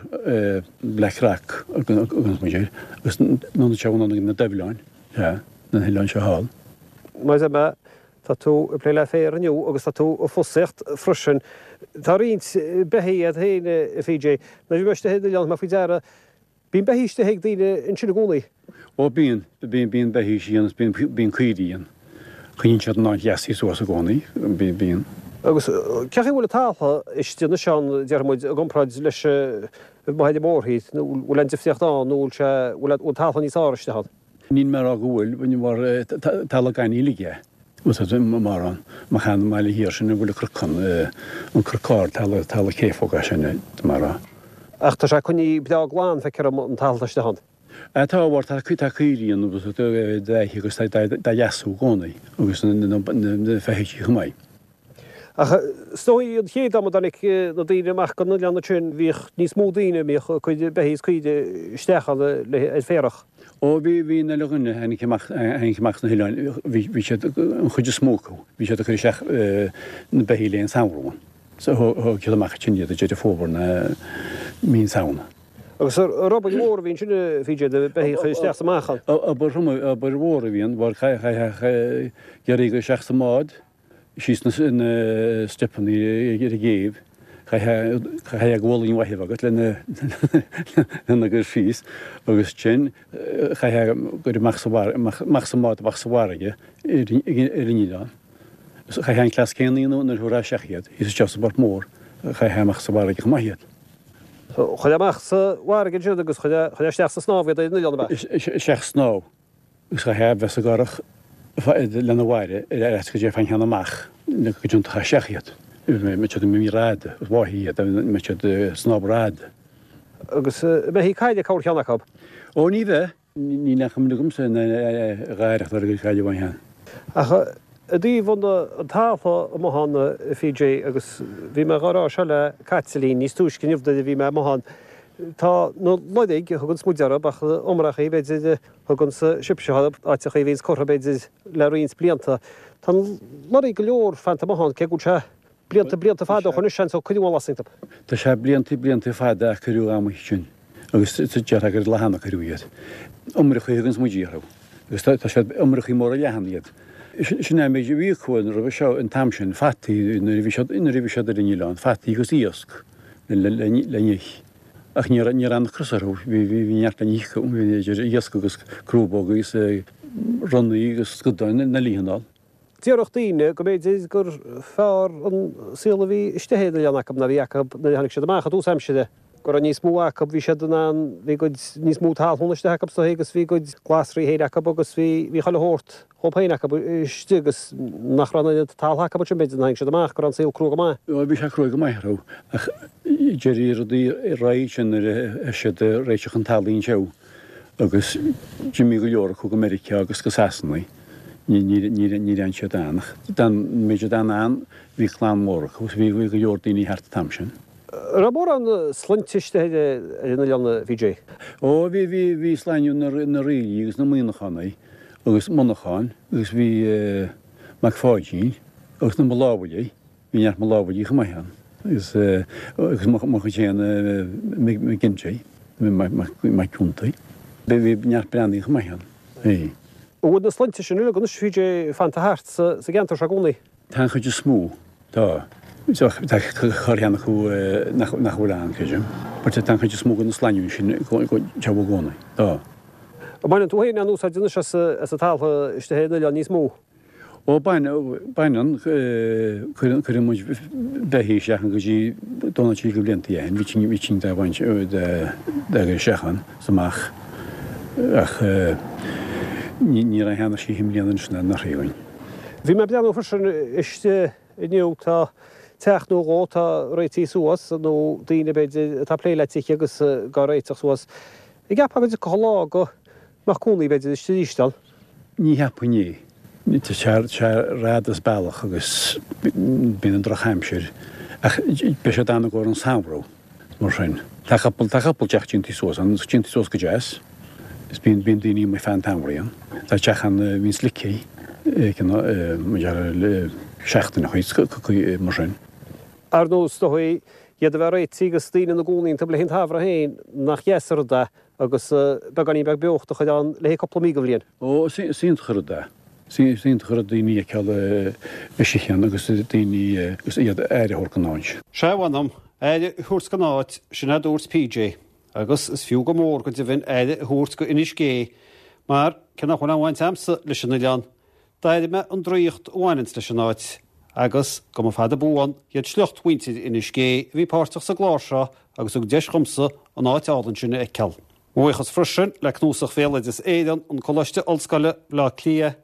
Black Rock a thuganns muid air, agus anonn anseo anonn ag na Doibhleáin, sea, na hoileáin seo thall. Mar a deir mé, tá tú ag plé le féar inniu agus tá tú ag fosaíocht freisin. Tá roinnt beithígh agat féin, a PJ. Nuair a bhí mé istigh ar an oileán, thug mé faoi deara Bíonn beithígh istigh ag daoine ansin i gcónaí. Ó bíonn, bíonn, bíonn beithígh istigh ann is bíonn, bíonn caoirigh ann. Coinníonn siad an áit leasaithe suas i gcónaí, bíonn, bíonn. Agus cé chaoi a bhfuil an talamh istigh anois ann, déarfaidh muid, i gcomparáid leis amuigh ar an mórthír, nó bhfuil aon difríocht ann, nó bhfuil sé, bhfuil an talamh níos fearr istigh ann? Níl mé ag rá go bhfuil, mar talamh gainimh uilig é, mar an, amach an mbaile thiar sin a bhfuil an cnocán, an cnoc ard, talamh, talamh céafóg é sin, mar a. Ach tá sé coinnithe breá glan, feictear dom, an talamh atá istigh ann. Tá, mar tá, tá caoirigh ann agus dá ithe agus dá leasú i gcónaí agus na feithidí chomh maith. Ach is dóigh an chéad am a dtáinig na daoine amach go n-oileán ansin bhíodh níos mó daoine a mbíodh a gcuid beithígh is caoire isteach ann le ar féarach. Ó bhí, bhí an uile dhuine a tháinig amach, a tháinig amach sna hoileáin, bhí, bhí siad, an chuid is mó acu, bhí siad ag cur isteach na beithígh le an samhradh ann. So thóg siad amach ansin iad i Deireadh Fómhair nó mí na Samhna. Agus ar obair mhór a bhí ansin a PJ, na beithígh a chur isteach is amach ann? Obair, obair mhór a bhí ann, mar chaithfeadh iarraidh isteach sa mbád, síos na steipeanna ar an gcéibh. Chaithfeá gualainn mhaith a bheith agat lena gcur síos agus ansin chaithfeá goil amach sa amach sa mbád amach sa bhfarraige ar an oileán. Chaithfeá an cleas céanna a dhéanamh nuair a thabharfá isteach iad, thíos isteach sa bPort Mór, chaithfeá amach sa bhfarraige chomh maith iad. Chuirfeá amach sa bhfarraige ansin agus chuirfeá isteach sa snámh iad ar an oileán, ab ea? Isteach sa snámh. Agus chaithfeá a bheith sa gcurach lena bhfaire ar fhaitíos go dtéifeá an ceann amach go dtiontófá isteach iad. Mbeadh siad imithe rófhada, bháithí iad, mbeadh siad ag snámh rófhada. Agus an mbeithí caille corrcheann acu? Ó ní bheadh. Níl aon chuimhne agamsa ná a dh'aireacht orthu gur cailleadh aon cheann. Ach i dtaobh an taltha amuigh ann, a PJ, agus bhí mé dhá rá seo le Caitlín níos túisce inniu nuair a bhí mé amuigh ann, tá na loirg a thuganns muid orthu, ach iomrachaí b'fhéidir a thuganns sibhse orthu, áiteachaí a bhíonns curtha b'fhéidir le roinnt blianta. Tá na loirg go leor fanta amuigh ann, cé go bhfuil sé blianta, blianta fada ó shoin anois, seans, ó cuireadh an lasc iontu. Tá sé blianta, blianta fada a cuireadh amuigh sin agus déarfá gur lá cheana a cuireadh iad. Iomrachaí a thuganns muid orthu agus tá siad, iomrachaí móra leathana iad. Sin é an méid a bhí acu roimhe seo an t-am sin, fataí nuair a bhí siad, nuair a bhí siad ar an oileán, fataí agus iasc le n-ithe. Ach ní raibh, ní raibh an-ocras orthu, bhí, bhí neart le n-ithe acu, bhí idir iasc agus crúbóga agus ronnaí agus scadáin na lítheanál. Déarfadh daoine go mb'fhéidir gur fearr an saol a bhí istigh ar an oileán acu ná a bhí acu nuair a tháinig siad amach i dtús aimsire, go raibh níos mó acu, bhí siad in ann, bhí a gcuid níos mó talún istigh acu is dóigh agus bhí a gcuid glasraí féin acu agus bhí, bhí chuile shórt dhóibh féin acu istigh agus nach raibh an oiread taltha acu ansin b'fhéidir nuair a tháinig siad amach, go raibh an saol crua go maith. Bhí sé crua go maith orthu ach d'éirigh rudaí ar aghaidh ansin nuair a thosaigh siad ag réiteach an talaimh anseo. Agus d'imigh go leor acu go Meiriceá agus go Sasana. Níor fhan siad ann. Ach d'fhan, an méid a d'fhan ann, bhí clann mhór acu agus bhí go leor daoine thart an t-am sin. An raibh mórán sloinnte istigh ar an oileán, a PJ? Ó, bhí, bhí, bhí sloinne na, na Reilly agus na Muíneachánaigh agus Monacháin agus bhí Mac Pháidín agus na Malámhaigh. Bhí neart Malámhaigh chomh maith ann agus agus mo chuid féin McGinty, Mac Ciontaigh. Bhí neart Breathnaigh chomh maith ann. Bhí. An bhfuil na sloinnte sin uilig anois, PJ, fanta thart sa gceantar seo i gcónaí? Tá an chuid is mó. Tá. Tá corrcheann acu nach bhfuil ann, creidim. But tá an chuid is mó de na sloinnte sin teo i gcónaí. Tá. An mbaineann tú féin aon úsáid anois as an talamh istigh ar an oileán níos mó? Ó, baineann, cuireann muid beithígh isteach ann go dtí Domhnach Trí go blianta ó shin, bhí tinn dá bhaint, dá gcur isteach ann is amach ach ní raibh cheana sí i mbliana anois ná anuraidh againn. Bhí mé ag breathnú freisin istigh inniu, tá teach nó dhó atá réitithe suas, nó daoine b'fhéidir atá ag plé le tithe agus dhá réiteach suas. An gceapfá go dtiocfadh lá go mbeadh cónaí b'fhéidir istigh arís ann? Ní cheapfainn é. Tá sé rófhada as bealach agus bíonn an drochaimsir ach beidh siad ann i gcomhair an samhradh mar sin. Tá cúpla tá cúpla teach déanta suas ann, déanta suas go deas is bíonn bíonn daoine amuigh feadh an tsamhraidh ann. Tá teach ann a bhíonn slicthe mar le seachtain a chuid mar sin. Ar ndóigh is dóigh iad a bheith réitithe agus daoine ina gcónaí iontu le haghaidh an tsamhraidh féin nach deas an rud é agus beagáinín beag beochta a chur ann le haghaidh cúpla mí den bhliain. Ó, is iontach an rud é. Is iontach an rud daoine a fheiceáil istigh ann agus daoine agus iad aire a thabhairt don áit. Sea, mh'anam, aire a thabhairt don áit, sin a dúirt PJ. Agus is fiú go mór go deimhin aire a thabhairt go Inis Gé, mar, cé nach bhfuil aon bhaint a'msa leis an oileán, D'airigh mé an draíocht a bhaineanns leis an áit, agus go mba fada buan iad sliocht mhuintir Inis Gé a bhí páirteach sa gclár seo agus thug deis dhomsa an áit álainn sin a fheiceáil. Mo bhuíochas freisin le Cnuasach Bhéaloideas Éireann, an Coláiste Ollscoile, Baile Átha Cliath,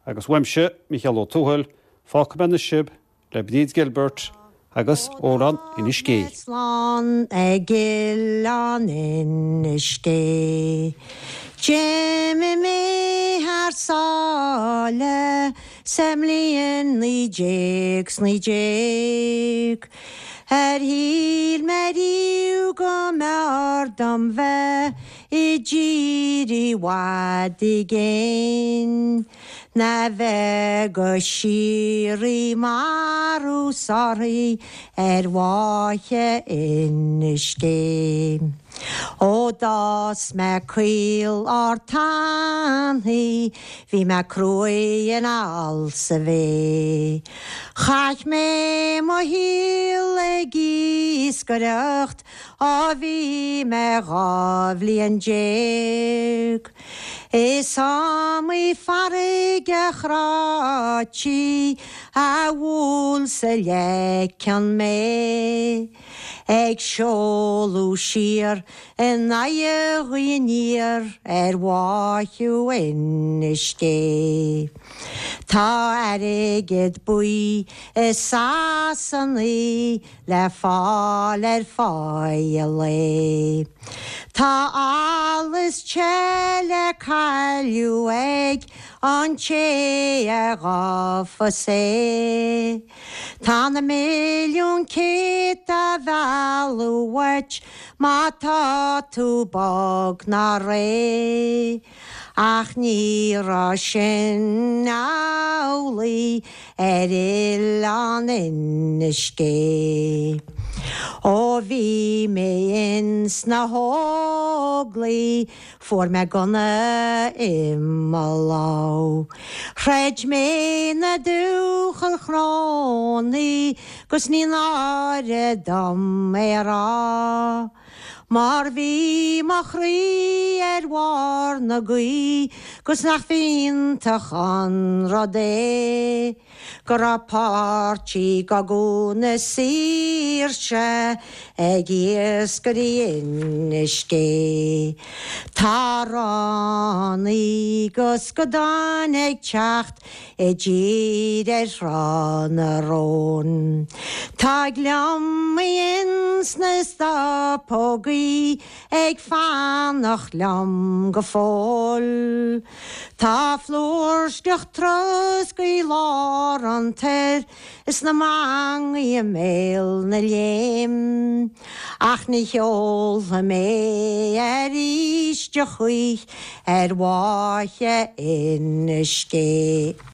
agus uaimse, Mícheál Ó Tuathail, fágfaidh mé anois sibh le Bríd Gilbert agus Amhrán Inis Gé. Slán ag Oileán Inis Gé. D'imigh mé thar sáile sa mbliain 19 's 19. Ar shíl mé riamh go mb'fhearr dom bheith i dtír i bhfad i gcéin. Ná bheith go síoraí marú 's orthaí ar bhfaiche Inis Gé. Ó d'fhás mé caol ard tanaí bhí mé cruaidh in alls a bhé. Chaith mé mo shaol ag iascaireacht ó bhí mé 12 bhliain. Is iomaí farraige chráití a bhuail sa leiceann mé, ag seoladh siar in aghaidh ghaoth aniar ar bháitheadh Inis Gé. Tá airgead buí i Sasanaí le fáil ar pháighe lae. Tá allas te le cailleadh ag an té a ghabhfas é. Tá na milliúin céad á mhealladh uait má tá tú bog ná réidh. Ach ní raibh sin amhlaidh ar oileán Inis Gé. Ó bhí mé ins na hÓglaigh fuair mé gunna i mo lámh. Throid mé na dúchail chrónaí 'gus ní náire dom é a rá. Mar bhí mo chroí ar bharr na gaoithe 'gus nach bh'iontach an rud é go raibh páirt i gcogadh na saoirse ag iascairí Inis Gé. Tá ránaí 'gus scadáin ag teacht i dtír ar Thrá na Rón. Tá gliomaigh ins na stopógaí ag fanacht liom go fóill. Tá flúirseach trosc i lár an toir is na mangaí i mbéal na léim. Ach ní sheolfaidh mé arís a choích' ar bháithe Inis Gé.